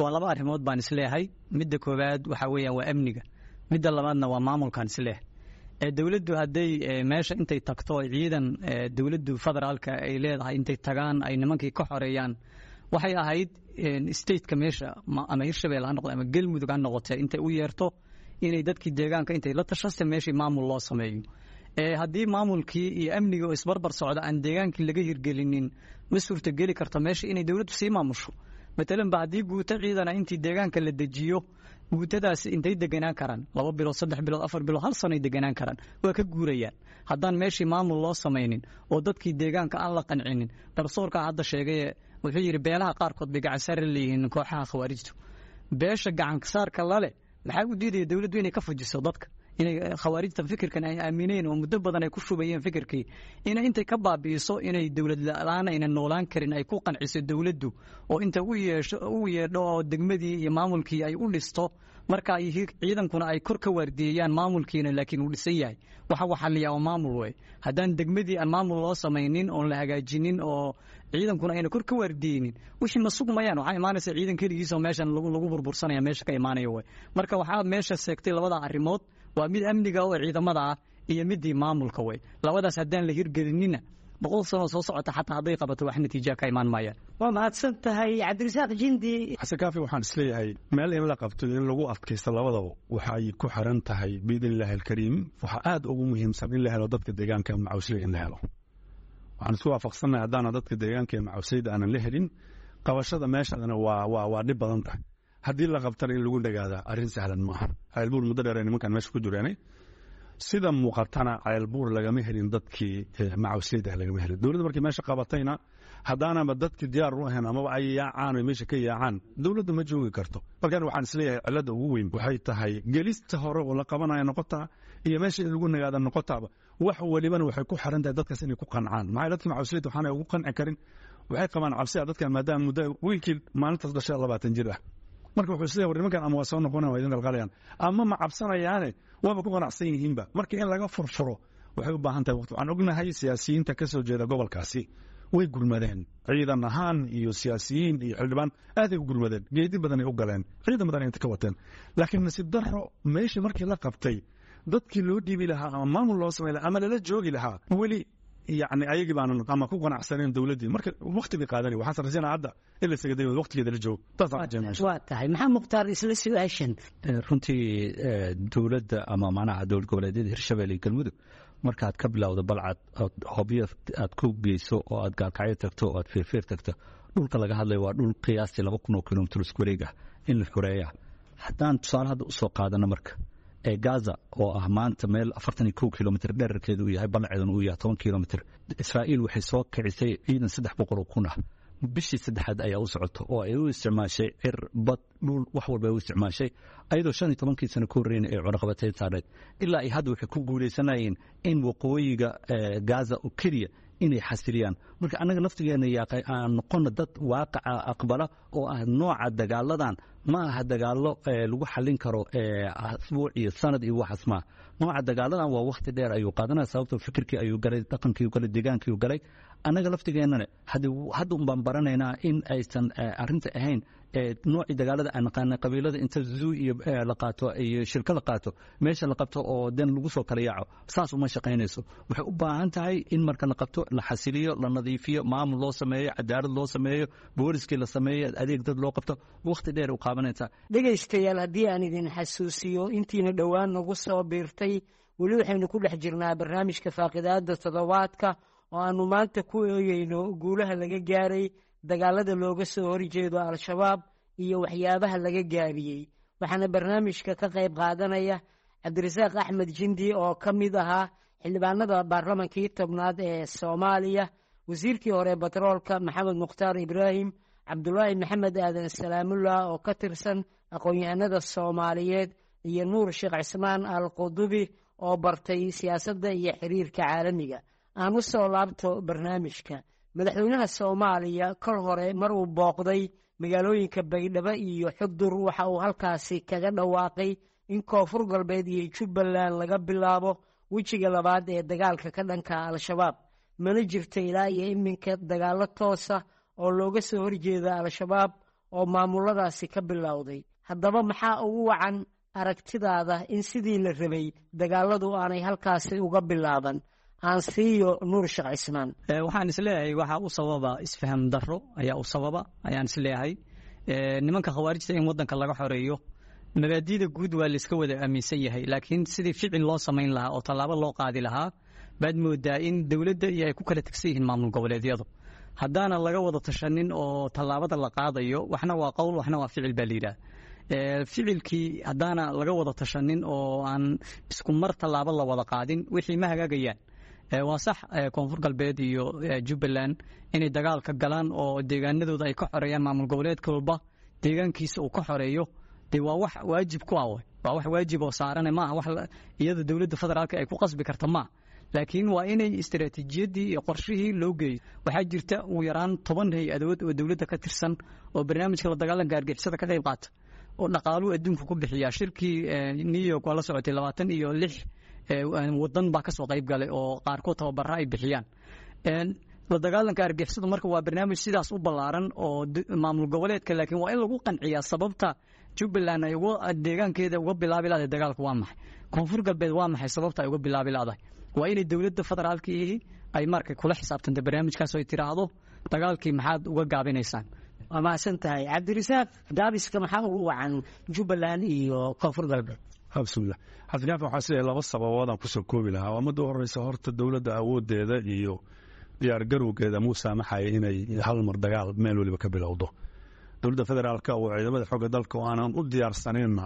waa laba arrimood baan isleeyahay. Midda koowaad waxaa weeyaan waa amniga, midda labaadna waa maamulkaan isleeyahay. Dowladdu hadday meesha intay tagto, ciidan dowladdu federaalka ay leedahay intay tagaan ay nimankii ka xoreeyaan, waxay ahayd stateka meesha ama Hirshabelle ha noqdo ama Galmudug ha noqotee, intay u yeerto inay dadkii deegaanka intay la tashasta meeshii maamul loo sameeyo. Haddii maamulkii iyo amniga oo isbarbar socda aan deegaankii laga hirgelinin, ma suurtogeli karto meesha inay dowladdu sii maamusho. Matalan ba haddii guuto ciidana intii deegaanka la dejiyo, guutadaas intay deganaan karaan 2 bilood, 3 bilood, 4 bilood, hal sanoy deganaan karaan, waa ka guurayaan. Haddaan meeshii maamul loo samaynin oo dadkii deegaanka aan la qancinin. Garsoorka hadda sheegaye wuxuu yidhi beelaha qaarkood bay gacan saar leeyihiin kooxaha khawaarijtu. Beesha gacan saarka lale maxaa u diidaya dowladdu inay ka fujiso dadka, inay khawaarijta fikirkan ay aamineen oo muddo badan ay ku shubayeen fikirkii inay intay ka baabi'iso, inay dowlad la-aan ayna noolaan karin ay ku qanciso dowladdu, oo inta u yeesho u yeedho oo degmadii iyo maamulkii ay u dhisto, marka ay ciidankuna ay kor ka waardiyeeyaan, maamulkiina laakiin uu dhisan yahay. Waxa waxaliyaa oo maamul wey. Haddaan degmadii aan maamul loo samaynin oon la hagaajinin oo ciidankuna ayna kor ka waardiyeynin, wixii ma sugmayaan. Waxaa imaanaysa ciidan keligiis oo meeshan lagu burbursanaya meesha ka imaanaya wey. Marka waxaa meesha seegtay labada arrimood, waa mid amniga oo ciidamada ah iyo midii maamulka wey. Labadaas haddaan la hirgelinina, 100 sano soo socota xataa hadday qabato, wax natiija ka imaan maayaan. Waa mahadsan tahay, Cabdirasaaq Jindi. Xasan Kaafi, waxaan isleeyahay meel in la qabto in lagu adkaysto labadaba waxay ku xiran tahay biidn illaahi alkariim. Waxaa aada ugu muhiimsan in la helo dadka deegaanka macawsley in la helo. Waxaan isku waafaqsannahay haddaana dadka deegaanka ee macawsleyda aanan la helin, qabashada meeshadana waa dhib badan tahay. Haddii la qabtana in lagu dhagaadaa arrin sahlan maaha. Ceelbuur muddo dheer ay nimankan meesha ku jireenay. Sida muuqatana Ceelbuur lagama helin dadkii macawisleyda ah, lagama helin. Dowladda markii meesha qabatayna, haddaanaba dadkii diyaar u ahayn amaba ay yaacaan oy meesha ka yaacaan, dowladda ma joogi karto. Markaan waxaan isleeyahay cilladda ugu weyn waxay tahay gelista hore oo la qabanaya noqotaa iyo meesha in lagu nagaada noqotaaba. Wax walibana waxay ku xiran tahay dadkaas inay ku qancaan. Maxaa dadka macawisleyda waxaanay ugu qanci karin? Waxay qabaan cabsi ah dadkan, maadaama muddo wiilkii maalintaas dhashay 20 jir ah. Marka wuxuu isleeyahay, war nimankan ama waa soo noqonayaan, waa idin qalqalayaan, ama ma cabsanayaane waaba ku qanacsan yihiinba. Marka in laga furfuro waxay u baahan tahay waqti. Waxaan ognahay siyaasiyiinta ka soo jeeda gobolkaasi way gurmadeen, ciidan ahaan iyo siyaasiyiin iyo xildhibaan aaday u gurmadeen, geedi badanay u galeen, ciidan badan inta ka wateen. Laakiin nasiib darro, meeshii markii la qabtay, dadkii loo dhiibi lahaa ama maamul loo samay lahaa ama lala joogi lahaa weli yacni ayagii baanan ama ku qanacsaneen dowladdii. Marka waqti bay qaadanay. Waxaan rajaynaa hadda in la isaga dayo waqtigeeda la joogo, taasaan rajaynaa. Waa tahay. Maxaa Mukhtaar, isla su-aashan. Runtii dowladda ama macnaha dowlad goboleedyada Hirshabelle iyo Galmudug, markaad ka bilowdo Balcad ood Hobyo aad ku geyso oo aad Gaalkacyo tagto oo aad Feerfeer tagto, dhulka laga hadlayo waa dhul qiyaastii 2000 oo kilomitir isku wareeg ah in la xoreeya. Haddaan tusaale hadda usoo qaadano marka ee Gaza oo ah maanta meel 41 kilomitir dherarkeedu uu yahay, ballaceeduna uu yahay 10 kilomitir, Israa'iil waxay soo kicisay ciidan 300,000 ah, bishii saddexaad ayaa u socoto, oo ay u isticmaashay cir, bad, dhul, wax walba ay u isticmaashay, ayadoo 15kii sano ka horreyn ay cunaqabateyn saarneed. Ilaa ay hadda waxay ku guuleysanayeen in waqooyiga Gaza oo keliya inay xasiliyaan. Marka annaga laftigeena yaaqay aan noqono dad waaqaca aqbala oo ah nooca dagaaladan ma aha dagaallo lagu xallin karo asbuuc iyo sanad iyo waxaas maaha. Nooca dagaaladan waa waqti dheer ayuu qaadanaya, sababtoo fikirkii ayuu galay, dhaqankii galay, deegaankii galay. Annaga laftigeennana hadda un baan baranaynaa in aysan arrinta ahayn noocii dagaalada aan naqaanay, qabiilada inta zoo iyo la qaato iyo shirka la qaato, meesha la qabto oo den lagu soo kala yaaco. Saas uma shaqaynayso. Waxay u baahan tahay in marka la qabto la xasiliyo, la nadiifiyo, maamul loo sameeyo, cadaalad loo sameeyo, booliskii la sameeyo, adeeg dad loo qabto. Waqti dheer u qaabanaysaa. Dhegaystayaal, haddii aan idin xasuusiyo intiina dhowaan nagu soo biirtay, weli waxaynu ku dhex jirnaa barnaamijka faaqidaada toddobaadka oo aanu maanta ku eegeyno guulaha laga gaaray dagaalada looga soo horjeedo Al-Shabaab iyo waxyaabaha laga gaabiyey. Waxaana barnaamijka ka qayb qaadanaya Cabdirasaaq Axmed Jindi oo ka mid ahaa xildhibaanada baarlamankii tobnaad ee Soomaaliya, wasiirkii hore batroolka Maxamed Mukhtaar Ibraahim, Cabdulaahi Maxamed Aadan Salaamullah oo ka tirsan aqoon-yahanada Soomaaliyeed, iyo Nuur Sheekh Cismaan Al Qudubi oo bartay siyaasadda iyo xiriirka caalamiga. Aan u soo laabto barnaamijka. Madaxweynaha Soomaaliya kol hore mar uu booqday magaalooyinka Baydhabo iyo Xudur, waxa uu halkaasi kaga dhawaaqay in Koonfur Galbeed iyo Jubbaland laga bilaabo wejiga labaad ee dagaalka ka dhanka Al-Shabaab. Mana jirto ilaa iyo iminka dagaallo toosa oo looga soo horjeeda Al-Shabaab oo maamuladaasi ka bilowday. Haddaba maxaa ugu wacan aragtidaada in sidii la rabay dagaaladu aanay halkaasi uga bilaaban? Aan siiyo Nuur Sheekh Cismaan. Waxaan isleeyahay waxaa u sababa isfaham darro ayaa u sababa ayaan isleeyahay. Nimanka khawaarijta in waddanka laga xoreeyo mabaadiida guud waa layska wada aaminsan yahay, laakiin sidii ficil loo samayn lahaa oo tallaabo loo qaadi lahaa baad moodaa in dowladda iyo ay ku kala tegsan yihiin maamul goboleedyadu. Haddaana laga wada tashanin oo tallaabada la qaadayo, waxna waa qowl, waxna waa ficil baa la yidhaah. Ficilkii haddaana laga wada tashanin oo aan isku mar tallaabo la wada qaadin, wixii ma hagaagayaan. Waa sax Koonfur Galbeed iyo Jubbaland inay dagaalka galaan oo deegaanadooda ay ka xoreeyaan, maamul goboleedka walba deegaankiisa uu ka xoreeyo, dee waa wax waajib ku ah, waa wax waajib oo saarane maaha wax iyada dowladda federaalka ay ku qasbi karta maaha, laakiin waa inay istaraatiijiyaddii iyo qorshihii loo geeyo. Waxaa jirta ugu yaraan 10 hay-adood oo dowladda ka tirsan oo barnaamijka la dagaalanka argixisada ka qayb qaata oo dhaqaaluhu adduunka ku bixiya. Shirkii New York waa la socotay, 26 wadan baa kasoo qayb galay oo qaarkood tababara ay bixiyaan la dagaalanka argixisadu. Marka waa barnaamij sidaas u ballaaran oo maamul goboleedka, laakiin waa in lagu qanciyaa sababta Jubbaland ay uga deegaankeeda uga bilaabi laadahay dagaalku waa maxay, Koonfur Galbeed waa maxay sababta ay uga bilaabi laadahay. Waa inay dowladda federaalkii ay marka kula xisaabtanta barnaamijkaas oo ay tiraahdo dagaalkii maxaad uga gaabinaysaan. Waa mahadsan tahay Cabdirasaaq. Gaabiska maxaa ugu wacan Jubbaland iyo Koonfur Galbeed? Bismillah, Xasan, waxaa sida laba sababood aan kusoo koobi lahaa. Waa midda u horeysa, horta dowladda awoodeeda iyo diyaargarowgeeda muu saamaxaya inay hal mar dagaal meel weliba ka bilowdo. Dowladda federaalka oo ciidamada xooga dalka oo aanan u diyaarsanayna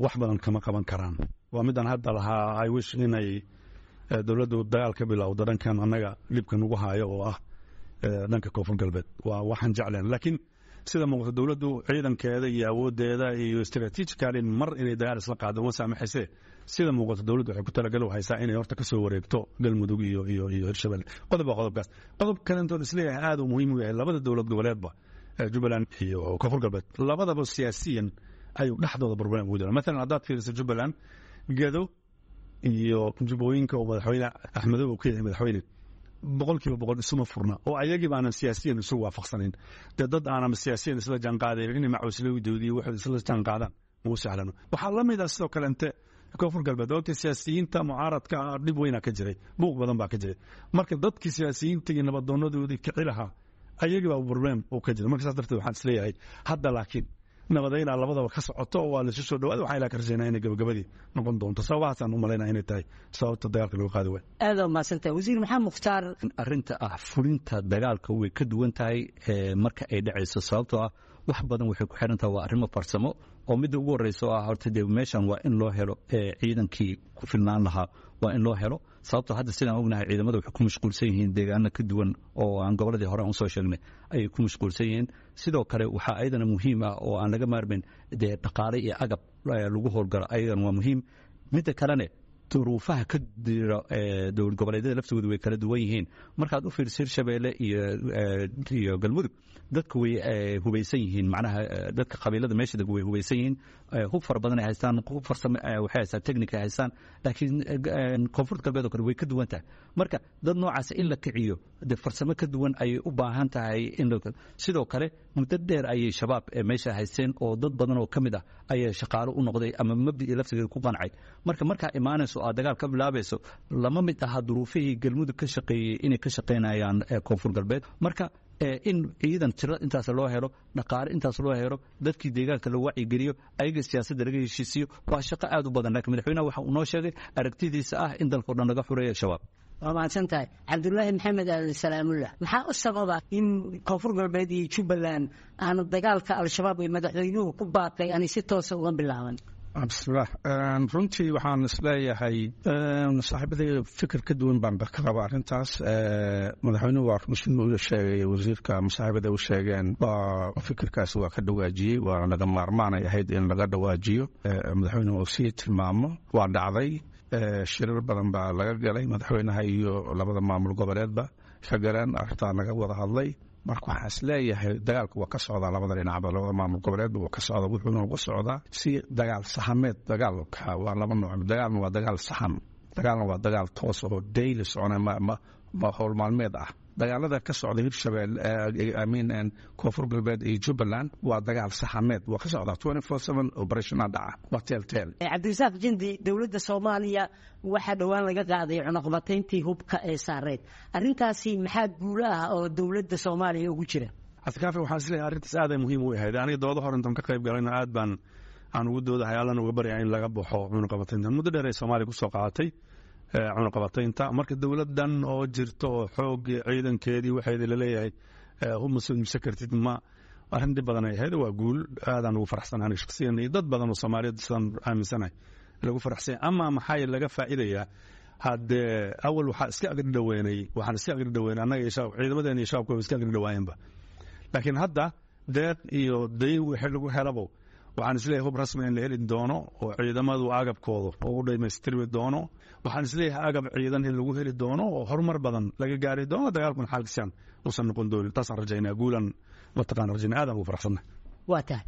wax badan kama qaban karaan. Waa midaan hadda lahaa, I wish inay dowladdu dagaal ka bilowdo dhankan annaga dhibka nagu haayo oo ah dhanka Koonfur Galbeed. Waa waxaan jecleen, laakiin sida muuqata dowladdu ciidankeeda iyo awooddeeda iyo strategically mar inay dagaal isla qaado uma saamaxayse. Sida muuqata dowladdu waxay ku talagal haysaa inay horta ka soo wareegto Galmudug iyo Hirshabelle. Qodob waa qodobkaas. Qodob kalentood isleeyahay aad uu muhiim u yahay, labada dowlad goboleedba, Jubbaland iyo Koonfur Galbeed, labadaba siyaasiyan ayuu dhexdooda problem ugu jira. Maalan haddaad fiiriso Jubbaland, Gedo iyo Jubbooyinka oo madaxweyne Axmedow uu ka yahay madaxweyne, 100% isuma furna oo ayagii baanan siyaasiyan isu waafaqsanayn. Dee dad aanan siyaasiyan isla jaanqaadayn inay macuuslowdoodii waxay isla jaanqaadaan mau sahlano. Waxaa la mid ah sidoo kale inte Koonfur Galbeed, ogtay siyaasiyiinta mucaaradka ah dhib weynaa ka jiray, buuq badan baa ka jiray. Marka dadkii siyaasiyiinta iyo nabadoonadoodii kici lahaa ayagii baa problem uu ka jiray. Marka saas darteed waxaan isleeyahay hadda laakiin nabadeynaa labadaba ka socoto oo waa laisu soo dhawaada. Waxaan ilaa ka rajaynaa inay gabagabadii noqon doonto. Sababahaasaan u malaynaa inay tahay sababta dagaalka lagu qaadi waay. Aada mahadsantahay, wasiir Maxamed Mukhtaar. Arrinta ah fulinta dagaalka way ka duwan tahay marka ay dhacayso, sababtoo ah wax badan waxay ku xiran tahay waa arrimo farsamo oo midda ugu horreysa oo ah horta dee meeshan waa in loo helo ciidankii ku filnaan lahaa, waa in loo helo, sababtoo hadda sidaan ognahay ciidamada waxay ku mashquulsan yihiin deegaano ka duwan oo aan gobolladii hore aan usoo sheegnay ayay ku mashquulsan yihiin. Sidoo kale waxaa ayadana muhiim ah oo aan laga maarmayn dee dhaqaale iyo agab lagu howlgalo, ayadana waa muhiim. Midda kalene duruufaha ka jira dowlad goboleedyada laftoodu way kala duwan yihiin. Markaad u fiiriso Hirshabeelle iyo Galmudug, dadku way hubaysan yihiin, macnaha dadka qabiilada meesha deg way hubaysan yihiin, hub fara badan ay haystaan, hub farsamo waxay haystaan, technic ay haystaan. Laakiin Koonfurta Galbeed oo kale way ka duwan tahay. Marka dad noocaas in la kiciyo dee farsamo ka duwan ayay u baahan tahay. In sidoo kale muddo dheer ayay Shabaab meesha haysteen oo dad badan oo ka mid ah ayaa shaqaalo u noqday ama mabdii laftigeeda ku qancay. Marka markaa imaanayso aad dagaal ka bilaabayso, lama mid aha duruufihii Galmudug ka shaqeeyey inay ka shaqaynayaan Koonfur Galbeed. Marka in ciidan tiro intaas loo helo, dhaqaale intaas loo helo, dadkii deegaanka la wacyigeliyo, ayaga siyaasadda laga heshiisiiyo, waa shaqo aad u badan. Laakiin madaxweynaha waxa uu noo sheegay aragtidiisa ah in dalka o dhan laga xureeyo Shabaab. Waa mahadsan tahay, Cabdulaahi Maxamed Aadan Salaamullah. Maxaa u sababa in Koonfur Galbeed iyo Jubbaland aanu dagaalka Al-Shabaab ee madaxweynuhu ku baaqay aanay si toosa uga bilaaban? Bismillaah. Runtii waxaan isleeyahay saaxiibaday fikir ka duwan baan ka qaba arrintaas. Madaxweynuhu waa sida uu sheegay, wasiirka masaaxiibada u sheegeen, waa fikirkaas waa ka dhawaajiyey, waa laga maarmaanay ahayd in laga dhawaajiyo, madaxweynuhu uu sii tilmaamo. Waa dhacday, shirar badan baa laga galay, madaxweynaha iyo labada maamul goboleedba ka galeen, arrintaa laga wada hadlay. Marka waxaan is leeyahay dagaalku waa ka socdaa labada dhinacba, labada maamul goboleedba waa ka socdaa, wuxuuna uga socdaa si dagaal sahameed. Dagaalka waa laba nooc: dagaalna waa dagaal sahan, dagaalna waa dagaal toos oo daily socona, ma howl maalmeed ah. Dagaalada ka socda Hirshabelle, I mean Koonfur Galbeed iyo Jubbaland, waa dagaal sahameed, waa ka socdaa 24/7, operationa dhaca, waa teelteel. Cabdirasaaq Jindi, dowladda Soomaaliya waxaa dhowaan laga qaaday cunaqabatayntii hubka ee saareed. Arrintaasi maxaa guulo ah oo dowladda Soomaaliya ugu jira? Cabdikaafi, waxaan isleeyahay arrintaas aad ay muhiim u ahayd. Aniga dooda hor intaan ka qayb galayna aad baan aan ugu doodahay, Allana uga baryaa in laga baxo cunaqabataynta muddo dheer ay Soomaaliya kusoo qaadatay cunaqabataynta. Marka dowladdan oo jirto oo xoog ciidankeedii waxeedii laleeyahay hub ma soo iibsan kartid, ma arrin dhib badan ay ahayd. Waa guul aadaan ugu faraxsanahay aniga shakhsiyan iyo dad badan oo Soomaaliyeed sidaan aaminsanahay lagu faraxsanya. Ama maxaa laga faa'iidayaa? Haddee awal waxaa iska agri dhaweynay, waxaan iska agri dhaweynay annaga iyo shabaab, ciidamadeena iyo shabaabka way iska agri dhawaayeenba. Laakiin hadda deeq iyo dayn wixii lagu helabo, waxaan isleeyahay hub rasmi in la heli doono oo ciidamadu agabkooda oo u dhamaystirmi doono. Waxaan isleeyahay agab ciidan in lagu heli doono oo horumar badan laga gaari doono, dagaalkuna xaalkiisaan uusan noqon doonin. Taasaan rajaynaa, guulan mataqaan rajaynaa, aadaan ugu faraxsannahay. Waa tahay,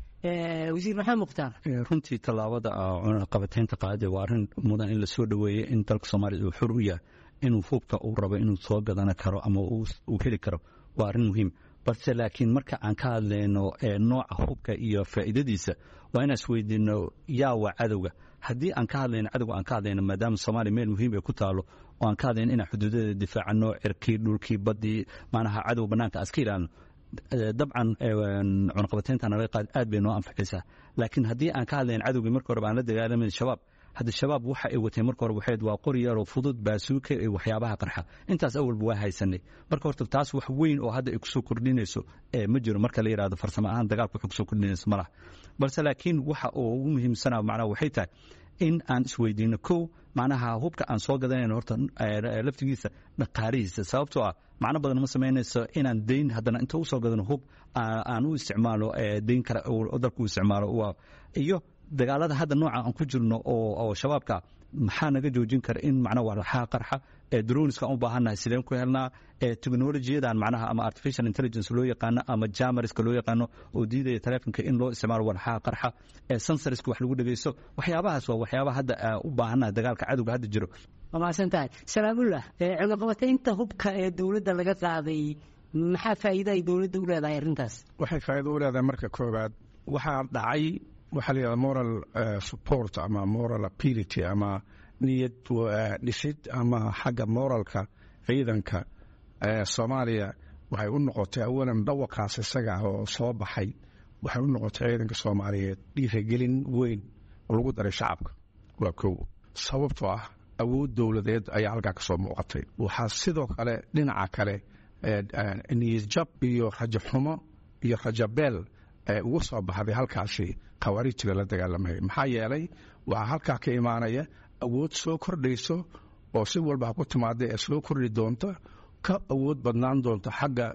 wasiir Maxamed Mukhtaar. Runtii tallaabada cunaqabataynta qaadida waa arrin mudan in lasoo dhoweeyey. In dalka Soomaaliya uu xor u yahay inuu hubka uu rabo inuu soo gadan karo ama uu heli karo waa arrin muhiim. Balse laakiin marka aan ka hadlayno nooca hubka iyo faa'iidadiisa, waa inaan isweydiino yaa waa cadowga. Haddii aan ka hadlayno cadowga, aan ka hadlayno maadaama Soomaaliya meel muhiim ay ku taalo oo aan ka hadlayno inaan xuduudadeeda difaacano, cirkii, dhulkii, baddii, macnaha cadow bannaanka aan iska ilaalino, dabcan cunaqabataynta naga qaad aad bay noo anficaysaa. Laakiin haddii aan ka hadlayn cadowgii marka horeba aan la dagaalamin Shabaab, hadda Shabaab waxa ay wateen marka hore waxayd waa qori yaroo fudud, baasuuka iyo waxyaabaha qarxa. Intaas awalba waa haysanay. Marka horta taas wax weyn oo hadda ay kusoo kordhinayso ma jiro. Marka la yidhahdo farsamo ahaan dagaalka wuxuu kusoo kordhinayso ma laha. Balse laakiin waxa uu ugu muhiimsanaa macnaha waxay tahay In aan isweydiino kow, macnaha hubka aan soo gadanayno horta laftigiisa dhaqaalihiisa, sababtoo ah macno badan ma samaynayso inaan deyn haddana inta usoo gadano hub aan u isticmaalo deyn kale oo dalku u isticmaalo. Iyo dagaalada hadda nooca aan ku jirno oo shabaabka, maxaa naga joojin kara in macnaha walxaha qarxa droneska aan u baahannahay sideen ku helnaa? Technologiyadan macnaha ama artificial intelligence loo yaqaano ama jammerska loo yaqaano oo diidaya taleefonka in loo isticmaalo walxaha qarxa, sensorska wax lagu dhegeysto, waxyaabahaas waa waxyaabaha hadda u baahannahay dagaalka cadowga hadda jiro. Waa mahadsan tahay, Salaamullah. Cunaqabataynta hubka ee dowladda laga qaaday, maxaa faa'iida ay dowladda u leedahay arrintaas? Waxay faa'iido u leedahay, marka koowaad waxaa dhacay waxaa la yidhahda moral support ama moral ability ama niyad dhisid ama xagga moralka ciidanka Soomaaliya. Waxay u noqotay awalan dhawaqaas isaga ah oo soo baxay, waxay u noqotay ciidanka Soomaaliyeed dhiiragelin weyn oo lagu daray shacabka. Waa kow, sababtoo ah awood dowladeed ayaa halkaa kasoo muuqatay. Waxaa sidoo kale dhinaca kale niyad jab iyo rajaxumo iyo rajabeel ugu soo baxday halkaasi khawaarijta la dagaalamaya, maxaa yeelay waxaa halkaa ka imaanaya awood soo kordhayso oo si walba ha ku timaada ee soo kordhi doonta, ka awood badnaan doonta xagga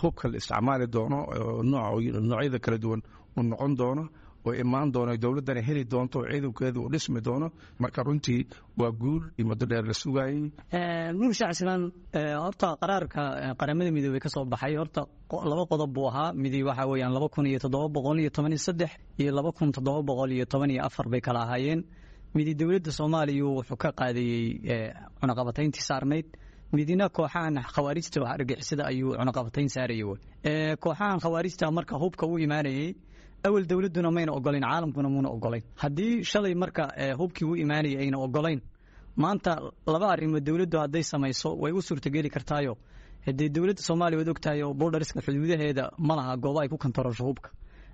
hubka la isticmaali doono, noocyada kala duwan uu noqon doono oo imaan doono, dowladdana heli doonto oo ciidankeedu uu dhismi doono. Marka runtii waa guul iyo muddo dheer la sugayey. Nuur Shacsimaan. Horta qaraarka Qaramada Midoobey ka soo baxay horta laba qodob buu ahaa. Midi waxa weeyaan 2713 iyo 2714 bay kala ahaayeen. Midi dowladda Soomaaliya wuxuu ka qaadayey cunaqabatayntii saarnayd, midina kooxahan khawaarijta wax argixisada ayuu cunaqabatayn saarayay. Kooxahan khawaarijta marka hubka u imaanayey awal dowladduna mayna ogolayn, caalamkuna muuna ogolayn. Haddii shalay marka hubkii u imaanayay ayna ogolayn, maanta laba arrimood dowladdu hadday samayso way u suurtageli kartaayo. Haddii dowladda Soomaaliya waad ogtahay oo borderska xuduudaheeda ma laha goobo ay ku kantarosho hubka.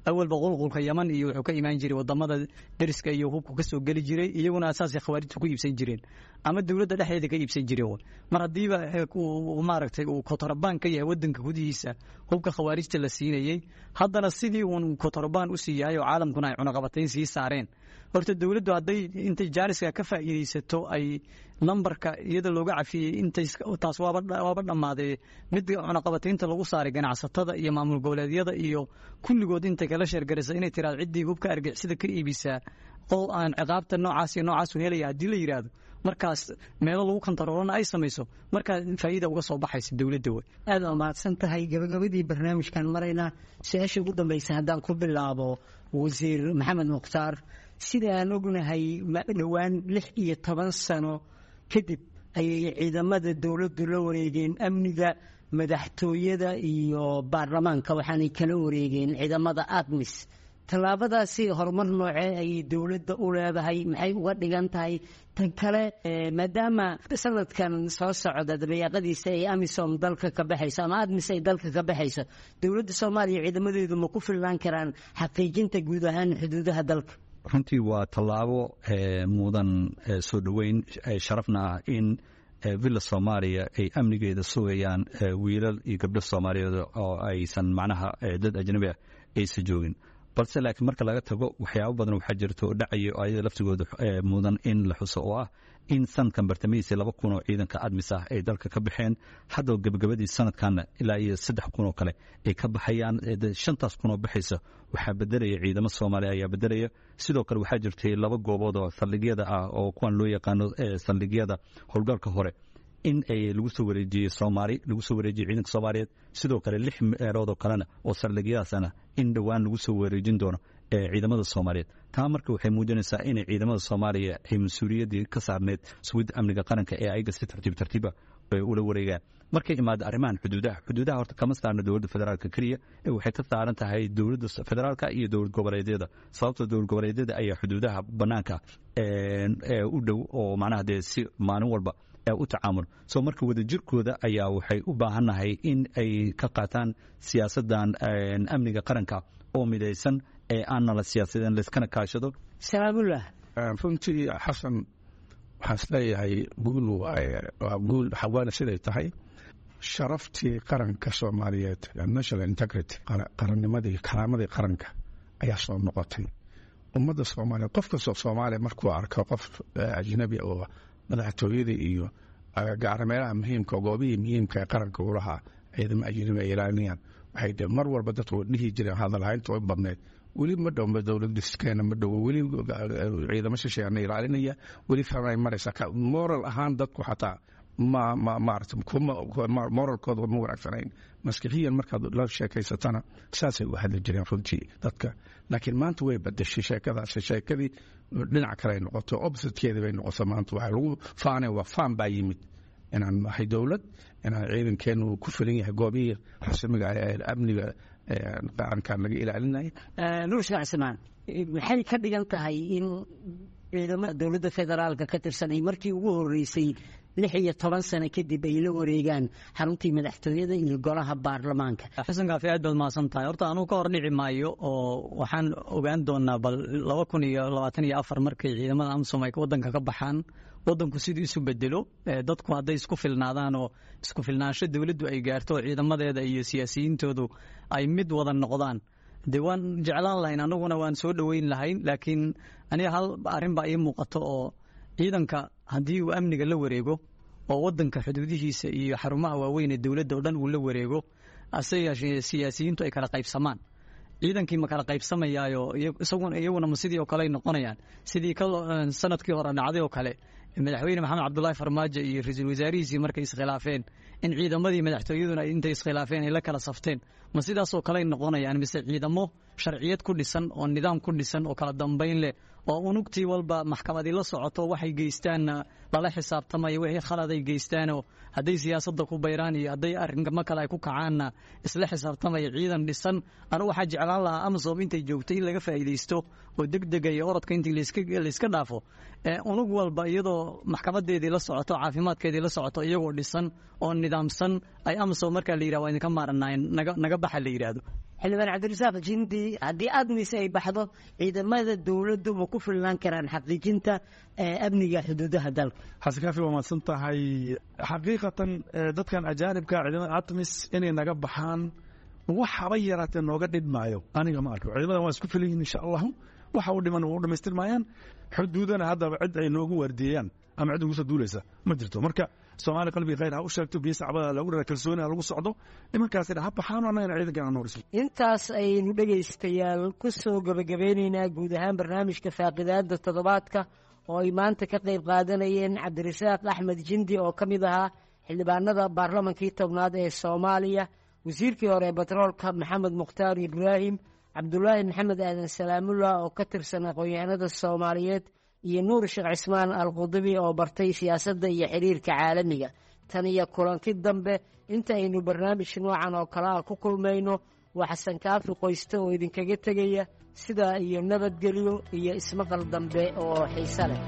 Awalba qulqulka Yaman iyo wuxuu ka imaan jiray wadamada deriska iyo hubku ka soo geli jiray, iyaguna asaasay khawaarijta ku iibsan jireen ama dowladda dhexdeeda ka iibsan jireen. Mar haddiiba maaragtay uu kotorobaan ka yahay wadanka gudihiisa hubka khawaarijta la siinayey, haddana sidii uun kotorobaan usii yahay oo caalamkuna ay cunaqabatayn sii saareen, horta dowladdu hadday intay jaaniska ka faa'iidaysato ay lambarka iyada looga cafiyey intay taas waaba dhammaaday. Mid cunaqabataynta lagu saaray ganacsatada iyo maamul goboleedyada iyo kulligood intay kala sheergaraysa inay tiraado ciddii hubka argixisada ka iibisaa qol aan ciqaabta noocaas iyo noocaas u helaya haddii la yidhaahdo, markaas meelo lagu kantaroolana ay samayso, markaa faa'iida uga soo baxaysa dowladda wey. Aad waa mahadsan tahay. Gabagabadii barnaamijkan maraynaa. Su-aasha ugu dambaysa haddaan ku bilaabo Wasiir Maxamed Mukhtaar, sida aan ognahay dhowaan 16 sano kadib ayay ciidamada dowladdu la wareegeen amniga madaxtooyada iyo baarlamaanka, waxaanay kala wareegeen ciidamada ADMIS. Tallaabadaasi horumar noocee ayay dowladda u leedahay? Maxay uga dhigan tahay? Tan kale, maadaama sanadkan soo socda dabayaaqadiisa ay AMISOM dalka ka baxayso ama ADMIS ay dalka ka baxayso, dowladda Soomaaliya ciidamadeedu ma ku filnaan karaan xaqiijinta guud ahaan xuduudaha dalka? Runtii waa tallaabo mudan soo dhoweyn, sharafna ah in Villa Soomaaliya ay amnigeeda sugayaan wiilal iyo gabdho Soomaaliyeed oo aysan macnaha dad ajnabi ah aysan joogin. Balse laakiin marka laga tago, waxyaabo badan waxaa jirta oo dhacaya oo ayada laftigooda mudan in la xuso, oo ah in sanadkan bartamihiisa 2000 oo ciidanka ADMIS ah ay dalka ka baxeen. Hadda gabagabadii sanadkanna ilaa iyo 3000 oo kale ay ka baxayaan. Shantaas kun oo baxaysa waxaa bedelaya ciidamo Soomaaliya ayaa bedelaya. Sidoo kale waxaa jirtay laba goobood oo saldhigyada ah oo kuwan loo yaqaano saldhigyada howlgalka hore in ay lagu soo wareejiyey Soomaali, lagu soo wareejiyey ciidanka Soomaaliyeed. Sidoo kale lix meelood oo kalena oo saldhigyadaasana in dhowaan lagu soo wareejin doono ciidamada Soomaaliyeed. Taa marka waxay muujinaysaa inay ciidamada Soomaaliya ay mas-uuliyaddii ka saarneyd sugidda amniga qaranka ee ayaga si tartiib tartiiba ay ula wareegaan. Markay imaado arrimahan xuduudaha, xuduudaha horta kama saarna dowladda federaalka keliya ee waxay ka saaran tahay dowladda federaalka iyo dowlad goboleedyada, sababtoo dowlad goboleedyada ayaa xuduudaha bannaanka u dhow oo macnaha dee si maalin walba u tacaamul. So marka wadajirkooda ayaa waxay u baahannahay in ay ka qaataan siyaasaddan amniga qaranka oo midaysan ee aanna la siyaasadeen, layskana kaashado. Salaamullah. Runtii Xasan, waxaan isleeyahay guul waaye, waa guul xawaana siday tahay sharaftii qaranka Soomaaliyeed, national integrity, qarannimadii, karaamadii qaranka ayaa soo noqotay. Ummadda Soomaaliya, qof kastoo Soomaaliya markuu arko qof ajnabi oo madaxtooyada iyo gaara meelaha muhiimka, goobihii muhiimka ee qaranka u lahaa ciidamo ajnabi ay ilaalinayaan, waxay de mar walba dadku dhihi jireen hadalhaynta way badneyd: weli ma dhow dowlad dhiskeena, ma dhowo, weli ciidamo shisheeyana ilaalinaya, weli kanay maraysaa. Moral ahaan dadku xataa ma ma maarata kuma moralkooda ma wanaagsanayn. Maskixiyan markaad la sheekaysatana saasay u hadli jireen runtii dadka. Laakiin maanta way badashay sheekadaasi, sheekadii dhinac kale ay noqoto, oppositekeedii bay noqoto. Maanta waxaa lagu faanay, waa faan baa yimid inaan nahay dowlad, inaan ciidankeenu ku filan yahay goobihii rasmiga ee amniga qarankan laga ilaalinaya. Nuur Sheekh Cismaan, maxay ka dhigan tahay in ciidamada dowladda federaalka ka tirsan ay markii ugu horeysay 16 sano kadib ay la wareegaan xaruntii madaxtooyada iyo golaha baarlamaanka? Xasan Kaafi, aad baad mahadsan tahay. Horta anugu ka hor dhici maayo oo waxaan ogaan doonaa bal 2024 markay ciidamada AMISOM ay waddanka ka baxaan waddanku siduu isu bedelo. Dadku hadday isku filnaadaan oo isku filnaansho dowladdu ay gaarto oo ciidamadeeda iyo siyaasiyiintoodu ay mid wada noqdaan, dee waan jeclaan lahayn, anaguna waan soo dhoweyn lahayn. Laakiin aniga hal arrin baa ii muuqato oo ciidanka haddii uu amniga la wareego oo waddanka xuduudihiisa iyo xarumaha waaweyn ee dowladda oo dhan uu la wareego, ase yeeshee siyaasiyiintu ay kala qaybsamaan, ciidankii ma kala qaybsamayaayo? Isaguna iyaguna ma sidii oo kale ay noqonayaan, sidii sanadkii hore dhacday oo kale, madaxweyne Maxamed Cabdulaahi Farmaajo iyo ra-iisul wasaarihiisii markay iskhilaafeen in ciidamadii madaxtooyaduna intay iskhilaafeen ay la kala safteen? Ma sidaasoo kale ay noqonayaan, mise ciidamo sharciyad ku dhisan oo nidaam ku dhisan oo kala dambayn leh oo unugtii walba maxkamadii la socoto, waxay geystaanna lala xisaabtamayo, wixii khalad ay geystaanoo hadday siyaasadda ku bayraan iyo hadday arrinkamo kale ay ku kacaanna isla xisaabtamaya, ciidan dhisan? Anu waxaa jeclaan lahaa AMISOM intay joogtay in laga faa'iidaysto oo degdega iyo orodka intii layska dhaafo, unug walba iyadoo maxkamadeedii la socoto, caafimaadkeedii la socoto, iyagoo dhisan oo nidaamsan ay AMISOM markaa la yidhah waa idinka maaranayn, naga baxa la yidhaahdo. Xildhibaan Cabdirasaaq Jindi, haddii ATMIS ay baxdo, ciidamada dowladdu ma ku filnaan karaan xaqiijinta amniga xuduudaha dalka? Xasan Kaafi, waa mahadsan tahay. Xaqiiqatan dadkan ajaanibka, ciidamada ATMIS inay naga baxaan wax haba yaraatee nooga dhidmaayo aniga ma arko. Ciidamadan waa isku filan yihin, insha Allahu waxa u dhiman waa u dhamaystirmayaan. Xuduudana haddaba cid ay noogu waardiyeeyaan ama cid ugu soo duulaysa ma jirto. Marka Soomaali qalbiga khayr ha u sheegto, biyo sacbada lagu dhara, kalsooni ha lagu socdo, nimankaasina ha baxaano, annagana ciidankan aan nooriso. Intaas ayaynu dhegaystayaal ku soo gebagabeynaynaa guud ahaan barnaamijka faaqidaada toddobaadka oo ay maanta ka qayb qaadanayeen Cabdirasaaq Axmed Jindi oo ka mid ahaa xildhibaanada baarlamankii 10aad ee Soomaaliya, wasiirkii hore ee batroolka Maxamed Mukhtaar Ibraahim, Cabdulaahi Maxamed Aadan Salaamullah oo ka tirsan aqoon-yahanada Soomaaliyeed, iyo Nuur Sheekh Cismaan Alqudubi oo bartay siyaasadda iyo xiriirka caalamiga. Tan iyo kulanti dambe inta aynu barnaamij noocan oo kale ah ku kulmayno, waa Xasan Kaafi Qoyste oo idinkaga tegaya sidaa iyo nabadgelyo iyo ismaqal dambe oo xiise leh.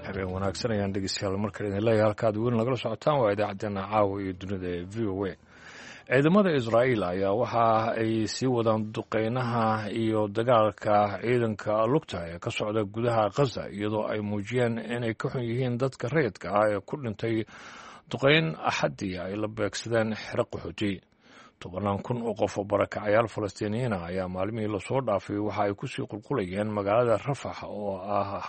Habeen wanaagsan ayaan dhegeystayaal markale idin leeyahay. Halkaad weli nagala socotaan waa idaacaddeenna caawa iyo dunida ee VOA. Ciidamada Israa'iil ayaa waxa ay sii wadaan duqeynaha iyo dagaalka ciidanka lugta ee ka socda gudaha Khaza, iyadoo ay muujiyeen inay ka xun yihiin dadka rayidka ah ee ku dhintay duqeyn Axaddii ay la beegsadeen xero qaxooti. Tobannaan kun oo qof oo barakacayaal Falastiiniyiina ayaa maalmihii lasoo dhaafay waxa ay kusii qulqulayeen magaalada Rafax oo ah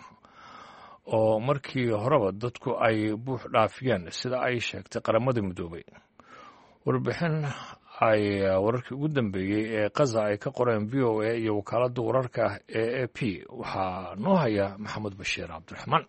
oo markii horeba dadku ay buux dhaafiyeen, sida ay sheegtay Qaramada Midoobay. Warbixin ay wararkii ugu dambeeyey ee Khaza ay ka qoreen VOA iyo wakaaladda wararka ee AP waxaa noo haya Maxamed Bashiir Cabdiraxmaan.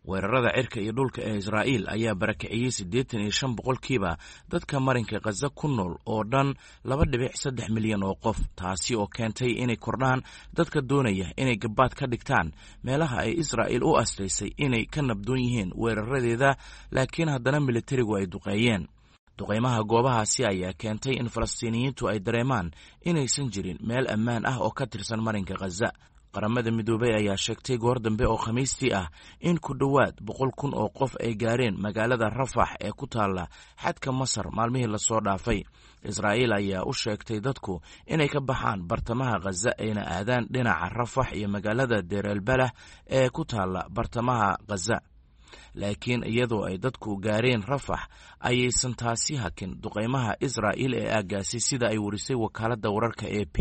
Weerarada cirka iyo dhulka ee Israa'iil ayaa barakiciyey 85% dadka marinka Khaza ku nool oo dhan 2.3 milyan oo qof, taasi oo keentay inay kordhaan dadka doonaya inay gabaad ka dhigtaan meelaha ay Israa'iil u astaysay inay ka nabdoon yihiin weeraradeeda, laakiin haddana militarigu ay duqeeyeen. Duqaymaha goobahaasi ayaa keentay in Falastiiniyiintu ay dareemaan inaysan jirin meel ammaan ah oo ka tirsan marinka Khaza. Qaramada Midoobay ayaa sheegtay goor dambe oo Khamiistii ah in ku dhowaad 100,000 oo qof ay gaareen magaalada Rafax ee ku taalla xadka Masar maalmihii lasoo dhaafay. Israa'iil ayaa u sheegtay dadku inay ka baxaan bartamaha Khaza ayna aadaan dhinaca Rafax iyo magaalada Deeralbalah ee ku taalla bartamaha Khaza. Laakiin iyadoo ay dadku gaareen Rafax, ayaysan taasi hakin duqaymaha Israa'iil ee aaggaasi, sida ay warisay wakaaladda wararka AP.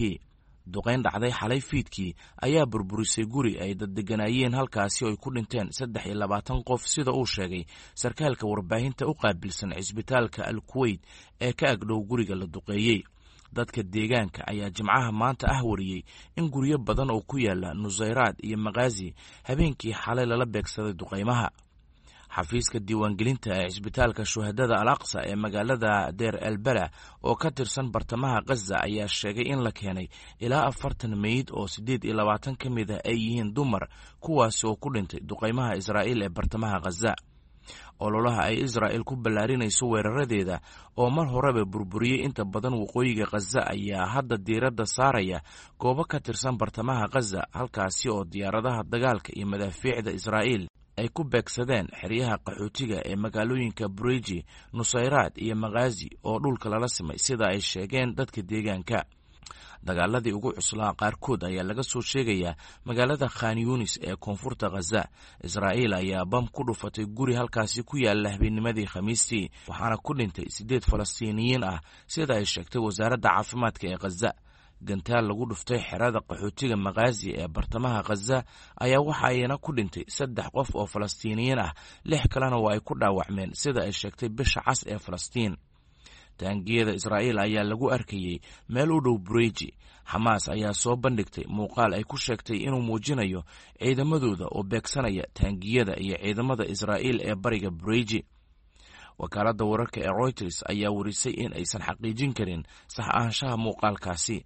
Duqayn dhacday xalay fiidkii ayaa burburisay guri ay dad deganaayeen halkaasi oo ay ku dhinteen 23 qof, sida uu sheegay sarkaalka warbaahinta u qaabilsan cisbitaalka Al Kuweyt ee ka agdhow guriga la duqeeyey. Dadka deegaanka ayaa Jimcaha maanta ah wariyey in guryo badan oo ku yaala Nusayraad iyo Makhaasi habeenkii xalay lala beegsaday duqaymaha. Xafiiska diiwaangelinta ee cisbitaalka Shuhadada Al Aqsa ee magaalada Deer Elbala oo ka tirsan bartamaha Khaza ayaa sheegay in la keenay ilaa 40 meyd oo 28 ka mid ah ay yihiin dumar, kuwaasi oo ku dhintay duqaymaha Israa'iil ee bartamaha Khaza. Ololaha ay Israa'il ku ballaarinayso weeraradeeda oo mar horeba burburiyey inta badan waqooyiga Khaza ayaa hadda diiradda saaraya goobo ka tirsan bartamaha Khaza, halkaasi oo diyaaradaha dagaalka iyo madaafiicda Israa'iil ay ku beegsadeen xeryaha qaxootiga ee magaalooyinka Bureji, Nusayraad iyo Makhaasi oo dhulka lala simay, sida ay sheegeen dadka deegaanka. Dagaaladii ugu cuslaa qaarkood ayaa laga soo sheegayaa magaalada Khan Yunis ee koonfurta Khaza. Israa'iil ayaa bam ku dhufatay guri halkaasi ku yaala habeennimadii Khamiistii, waxaana ku dhintay 8 Falastiiniyiin ah, sida ay sheegtay wasaaradda caafimaadka ee Khaza. Gantaal lagu dhuftay xerada qaxootiga Makhaasi ee bartamaha Khaza ayaa waxa ayna ku dhintay 3 qof oo Falastiiniyiin ah, 6 kalena waa ay ku dhaawacmeen, sida ay sheegtay Bisha Cas ee Falastiin. Taangiyada Israa'iil ayaa lagu arkayey meel u dhow Bureji. Xamaas ayaa soo bandhigtay muuqaal ay ku sheegtay inuu muujinayo ciidamadooda oo beegsanaya taangiyada iyo ciidamada Israa'iil ee bariga Bureji. Wakaaladda wararka ee Reuters ayaa warisay in aysan xaqiijin karin sax ahaanshaha muuqaalkaasi.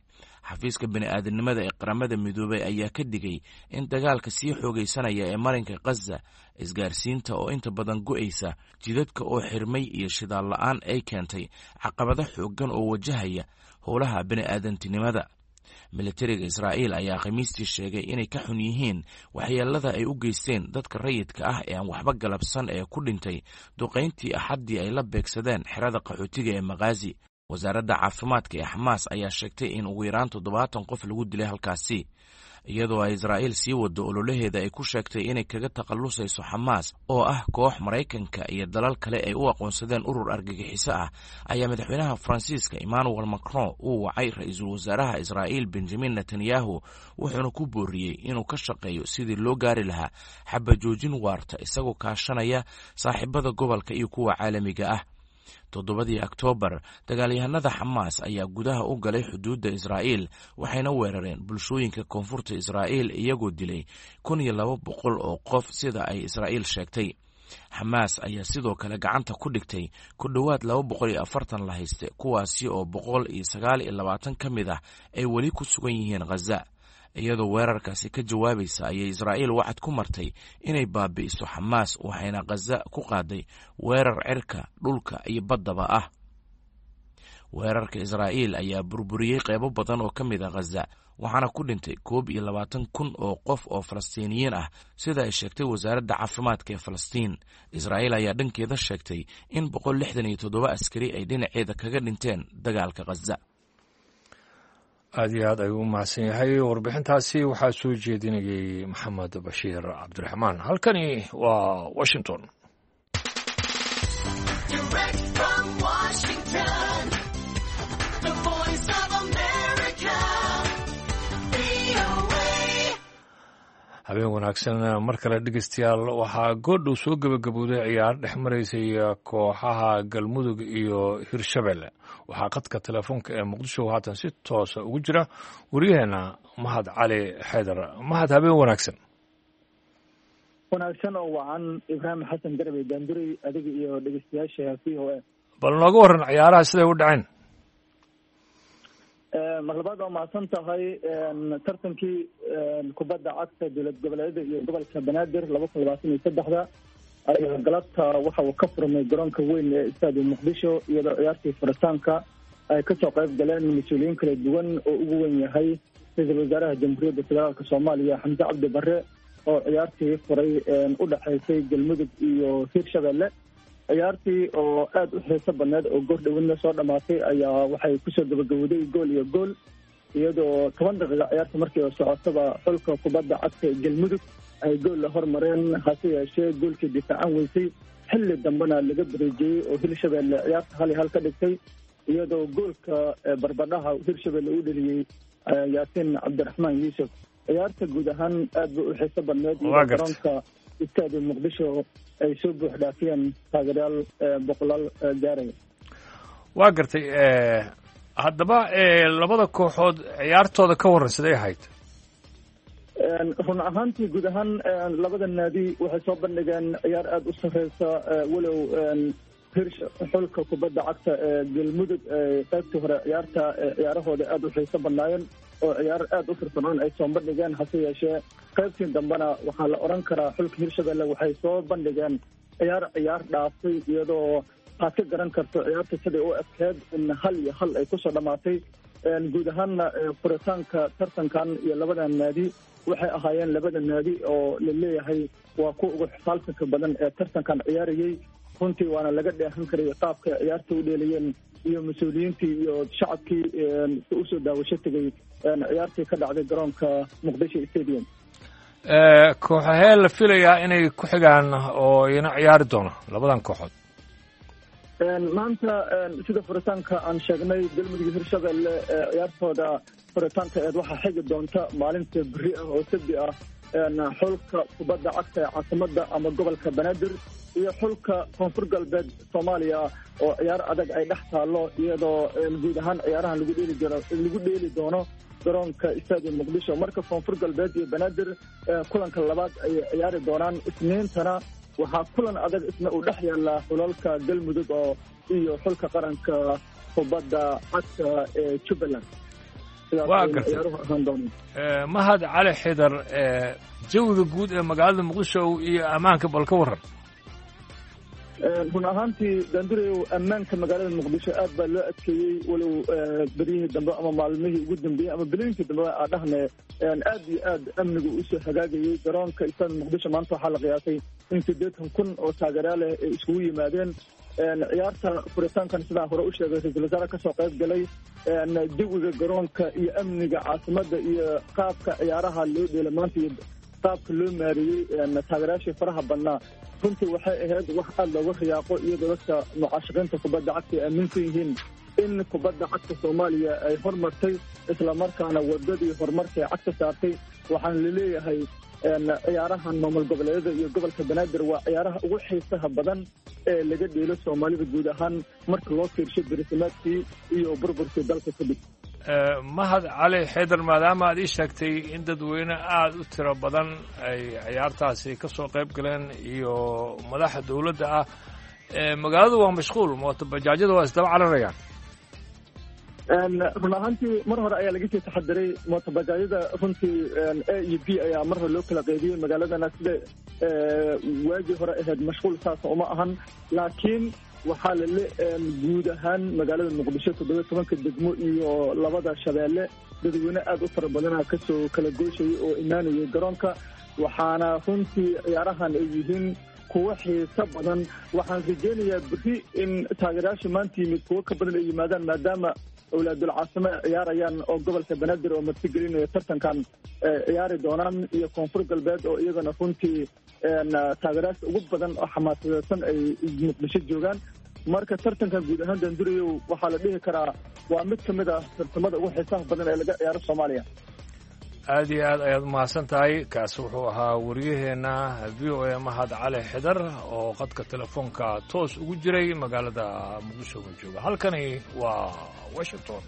Xafiiska bini'aadanimada ee Qaramada Midoobay ayaa ka digay in dagaalka sii xoogaysanaya ee marinka Khaza, isgaarsiinta oo inta badan go'aysa, jidadka oo xirmay iyo shidaal la'aan ay keentay caqabado xooggan oo wajahaya howlaha bini'aadantinimada. Militariga Israa'iil ayaa Khamiistii sheegay inay ka xun yihiin waxyeelada ay u geysteen dadka rayidka ah ee aan waxba galabsan ee ku dhintay duqayntii Axaddii ay la beegsadeen xerada qaxootiga ee Makhaasi. Wasaaradda caafimaadka ee Xamaas ayaa sheegtay in ugu yaraan 70 qof lagu dilay halkaasi, iyadoo ay Israa'iil sii wado ololaheeda ay ku sheegtay inay kaga takhallusayso Xamaas oo ah koox Maraykanka iyo dalal kale ay u aqoonsadeen urur argagixiso ah. Ayaa madaxweynaha Faransiiska Emmanuel Macron uu wacay ra-iisul wasaaraha Israa'iil Benjamin Netanyahu, wuxuuna ku booriyey inuu ka shaqeeyo sidii loo gaari lahaa xabajoojin waarta, isagoo kaashanaya saaxiibada gobolka iyo kuwa caalamiga ah. 7dii Oktoobar, dagaalyahanada Xamaas ayaa gudaha u galay xuduudda Israa'iil, waxayna weerareen bulshooyinka koonfurta Israa'iil, iyagoo dilay 1200 oo qof, sida ay Israa'iil sheegtay. Xamaas ayaa sidoo kale gacanta ku dhigtay ku dhowaad 240 la hayste, kuwaasi oo 129 ka mid ah ay weli ku sugan yihiin Khaza. Iyadoo weerarkaasi ka jawaabaysa ayay Israa'iil wacad ku martay inay baabi'iso Xamaas, waxayna Khaza ku qaaday weerar cirka, dhulka iyo baddaba ah. Weerarka Israa'iil ayaa burburiyey qeybo badan oo ka mid ah Khaza, waxaana ku dhintay 21,000 oo qof oo Falastiiniyiin ah, sida ay sheegtay wasaaradda caafimaadka ee Falastiin. Israa'iil ayaa dhankeeda sheegtay in 167 askari ay dhinaceeda kaga dhinteen dagaalka Khaza. Aad iyo aad ayuu u mahadsan yahay. Warbixintaasi waxaa soo jeedinayay Maxamed Bashiir Cabdiraxmaan. Halkani waa Washington. Direct from Washington, the voice of America, VOA. Habeen wanaagsan mar kale, dhegeystayaal. Waxaa goordhow soo gebagabowday ciyaar dhex maraysay kooxaha Galmudug iyo Hirshabelle. Waxaa qadka telefoonka ee Muqdisho haatan si toosa ugu jira waryaheena Mahad Cali Xaydar. Mahad, habeen wanaagsan. Wanaagsan oo wacan, Ibraahim Xasan Garabey Daanduray, adiga iyo dhegeystayaasha VOA. Bal nooga waran ciyaaraha siday u dhaceen. Mar labaad waa mahadsan tahay. Tartankii kubadda cagta dowlad goboleedyada iyo gobolka Banaadir 2023-da ayaa galabta waxa uu ka furmay garoonka weyn ee Istaadi Muqdisho, iyadoo ciyaartii furitaanka ay kasoo qayb galeen mas-uuliyiin kala duwan oo ugu weyn yahay Ra-iisul wasaaraha Jamhuuriyadda Federaalka Soomaaliya Xamse Cabdi Barre oo ciyaartii furay u dhexaysay Galmudug iyo Hirshabelle. Ciyaartii oo aada u xiiso badneed oo goor dhowidna soo dhammaatay ayaa waxay kusoo gabagabowday gool iyo gool, iyadoo 10 daqiiqa ciyaarta markii oo socotaba xulka kubadda cagta ee Galmudug ay gool la hormareen, hase yeeshee goolkii difaacan weysay, xilli dambena laga bareejiyey oo Hirshabelle ciyaarta 1-1 ka dhigtay, iyadoo goolka barbadhaha Hirshabelle uu dheliyey Yaasiin Cabdiraxmaan Yuusuf. Ciyaarta guud ahaan aad bay u xiiso badneed, iyadoo garoonka istaadi Muqdisho ay soo buux dhaafiyeen taageerayaal boqolaal gaaraya. Waa gartay. Haddaba labada kooxood ciyaartooda ka warran, siday ahayd? Run ahaantii guud ahaan labada naadi waxay soo bandhigeen ciyaar aada u sarreysa, walow xulka kubadda cagta ee Galmudug qaybtii hore ciyaarta ciyaarahooda aada u xiiso badnaayeen oo ciyaar aada u firfircoon ay soo bandhigeen, hase yeeshee qaybtii dambena waxaa la odhan karaa xulka Hirshabelle waxay soo bandhigeen ciyaar ciyaar dhaaftay, iyadoo aad ka garan karto ciyaarta siday u adkeed in 1-1 ay kusoo dhammaatay. Guud ahaanna furitaanka tartankan iyo labada naadi waxay ahaayeen labada naadi oo la leeyahay waa kuwa ugu xisaaltanka badan ee tartankan ciyaarayey. Runtii waana laga dheehan karay qaabka ciyaarta u dheelayeen iyo mas-uuliyiintii iyo shacabkii usoo daawasho tegay ciyaartii ka dhacday garoonka Muqdisho Stadium. Kooxahee la filayaa inay ku xigaan oo iyana ciyaari doono labadan kooxood? Maanta sida furitaanka aan sheegnay, Galmudug Hirshabelle ciyaartooda furitaanka eed waxaa xigi doonta maalinta berri ah oo Sabdi ah xulka kubadda cagta ee caasimada ama gobolka Banaadir iyo xulka Koonfur Galbeed Soomaaliya oo ciyaar adag ay dhex taallo, iyadoo guud ahaan ciyaarahan lagu dheeli jiro lagu dheeli doono garoonka Stadium Muqdisho. Marka Koonfur Galbeed iyo Banaadir kulanka labaad ay ciyaari doonaan. Isniintana waxaa kulan adag isna uu dhex yaallaa xulalka Galmudug oo iyo xulka qaranka kubadda cagta ee Jubbaland. Waa gartay, Mahad Cali Xidar. Jawiga guud ee magaalada Muqdisho iyo ammaanka bal ka warran. Run ahaantii Dandureyow, ammaanka magaalada Muqdisho aad baa loo adkeeyey, walow beryihii dambe ama maalmihii ugu dambeeyey ama bilooyinkii dambe aa dhahne aad iyo aad amnigu usoo hagaagayey. Garoonka istaad Muqdisho maanta waxaa la qiyaasay in 80,000 oo taageerayaal leh ay iskugu yimaadeen ciyaarta furitaankan. Sidaan hore u sheegay, ra-iisul wasaare kasoo qayb galay. Jawiga garoonka iyo amniga caasimadda iyo qaabka ciyaaraha loo dheela maanta iyo qaabka loo maareeyey taageerayaashii faraha badnaa runtii waxay ahayd wax aada looga riyaaqo, iyadoo dadka mucaashaqiinta kubadda cagta ay aaminsan yihiin in kubadda cagta Soomaaliya ay hormartay, islamarkaana wadadii horumarka ay cagta saartay. Waxaana laleeyahay ciyaarahan maamul goboleedyada iyo gobolka Banaadir waa ciyaaraha ugu xiisaha badan ee laga dheelo Soomaalida guud ahaan marka loo fiirsho berisimaadkii iyo burburkii dalka kadib. Mahad Cali Xaydar, maadaama aad ii sheegtay in dadweyne aada u tiro badan ay ciyaartaasi ka soo qayb galeen iyo madaxa dowladda ah, magaaladu waa mashquul, mooto bajaajyada waa isdaba cararayaan. Run ahaantii mar hore ayaa laga sii taxadiray mootobajaajyada. Runtii A iyo B ayaa mar hore loo kala qaybiyey magaaladana. Sida waagii hore ahayd mashquul saasa uma ahan, laakiin waxaa lale guud ahaan magaalada Muqdisho 17-ka degmo iyo labada shabeelle dadweyne aada u fara badana kasoo kala gooshayay oo imaanayay garoonka, waxaana runtii ciyaarahan ay yihiin kuwo xiiso badan. Waxaan rajeynayaa berri in taageerayaasha maanta yimid kuwo ka badan ay yimaadaan, maadaama awlaadul caasimo ay ciyaarayaan oo gobolka Banaadir oo martigelinaya tartankan ciyaari doonaan iyo Koonfur Galbeed oo iyagana runtii taageerayaasha ugu badan oo xamaasadeysan ay Muqdisho joogaan. Marka tartankan guud ahaan Dandurayow waxaa la dhihi karaa waa mid ka mid ah tartamada ugu xiisaha badan ee laga ciyaaro Soomaaliya. Aad iyo aad ayaad umahadsan tahay. Kaasi wuxuu ahaa wariyaheenna v o a Mahad Cali Xidar oo qadka telefoonka toos ugu jiray magaalada Muqdisho ma jooga. Halkani waa Washington.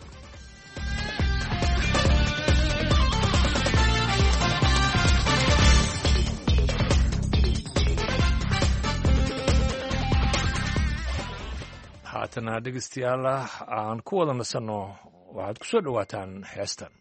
Haatana dhegeystayaal aan ku wada nasanno, waxaad ku soo dhowaataan heestan.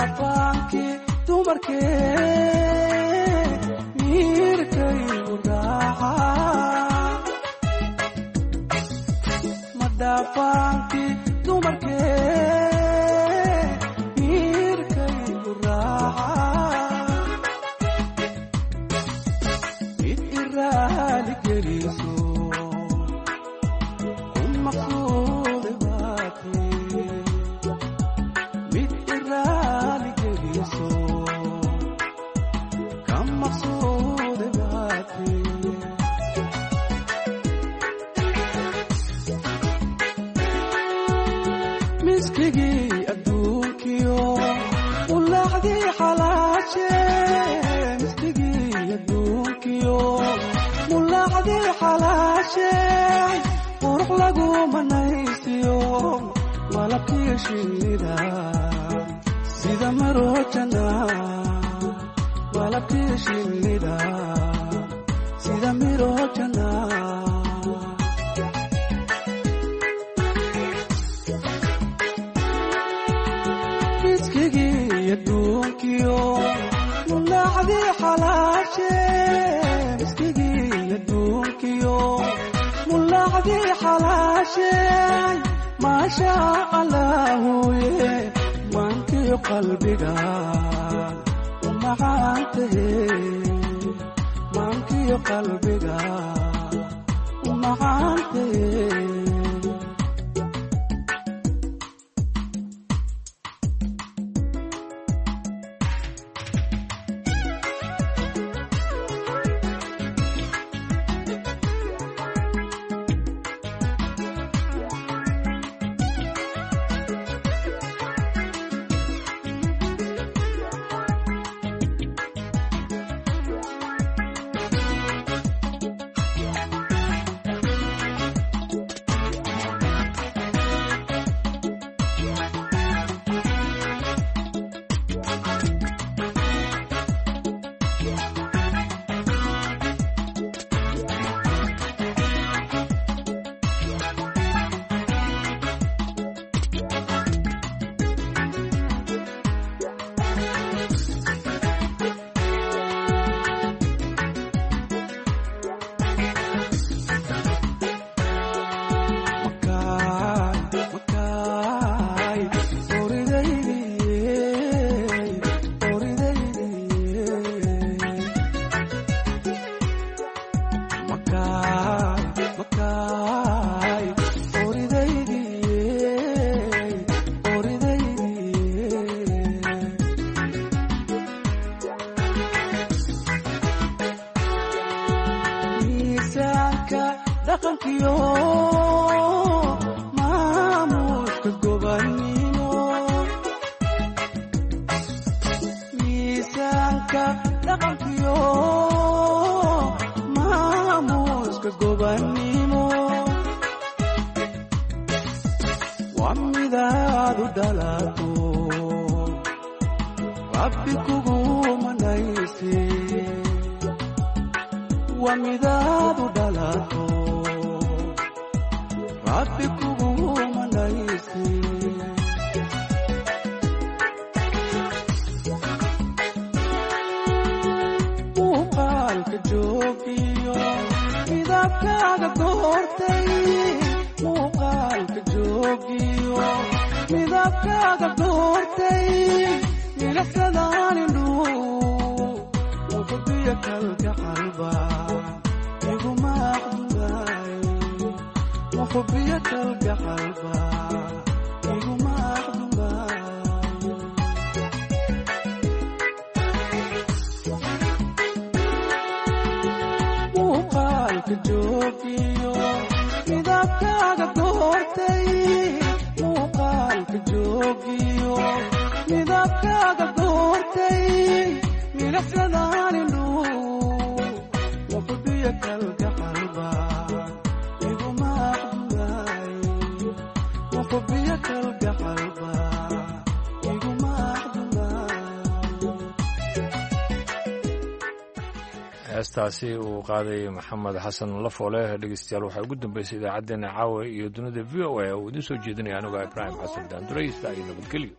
Madhaafaanki dumarkee miirkaygu raaca. Madhaafaanki dumarkee miirkaygu raaca. Mid iraali geliso ku maqsuude baatee. Mid iraali geliso ka maqsuude baatee. Miskigii adduunkiyo ulaacdii xalaashe. Miskigii adduunkiyo mulaacdii xalaashe. Qurux lagu manaysiyo malabkiyo shinnida sida marojana. Malabkiyo shinnida sida mirojana. Miskigii adduunkiyo mulaacdii xalaashe. Miskigii adduunkiyo mulaacdii xalaashe. Maasha allaahuye maankiyo qalbiga u macaantahe. Maankiyo qalbiga u macaantahe. Miisaanka dhaqankiyo maamuuska gobannimo. Miisaanka dhaqankiyo maamuuska gobannimo. Waa midaad u dhalato rabbi kugu manayse. Waa midaad u dhalato rabbi kugu manayse. Muuqaalka joogiyo midabkaaga doortay. Muuqaalka joogiyo midabkaaga doortay. Milicsadaan indhuhu muqdiya kalgacalba iguma aqdumaay. Muqdiya kalgacalba iguma aqdumaay. Muuqaalka joogiyo midabkaaga doortay. Muuqaalka joogiyo midabkaaga doortay. Milicsadaan indhuhu muqdiya kalgacalba iguma aqdumaay. Muqdiya kalgacalba iguma aqdumaay. Heestaasi uu qaaday Maxamed Xasan Lafoole, dhegeystayaal, waxaa ugu dambeysay idaacaddeenna caawa iyo dunida v o a oo idiin soo jeedinaya anuga Ibraahim Xasan Daanduraysta iyo nabadgelyo.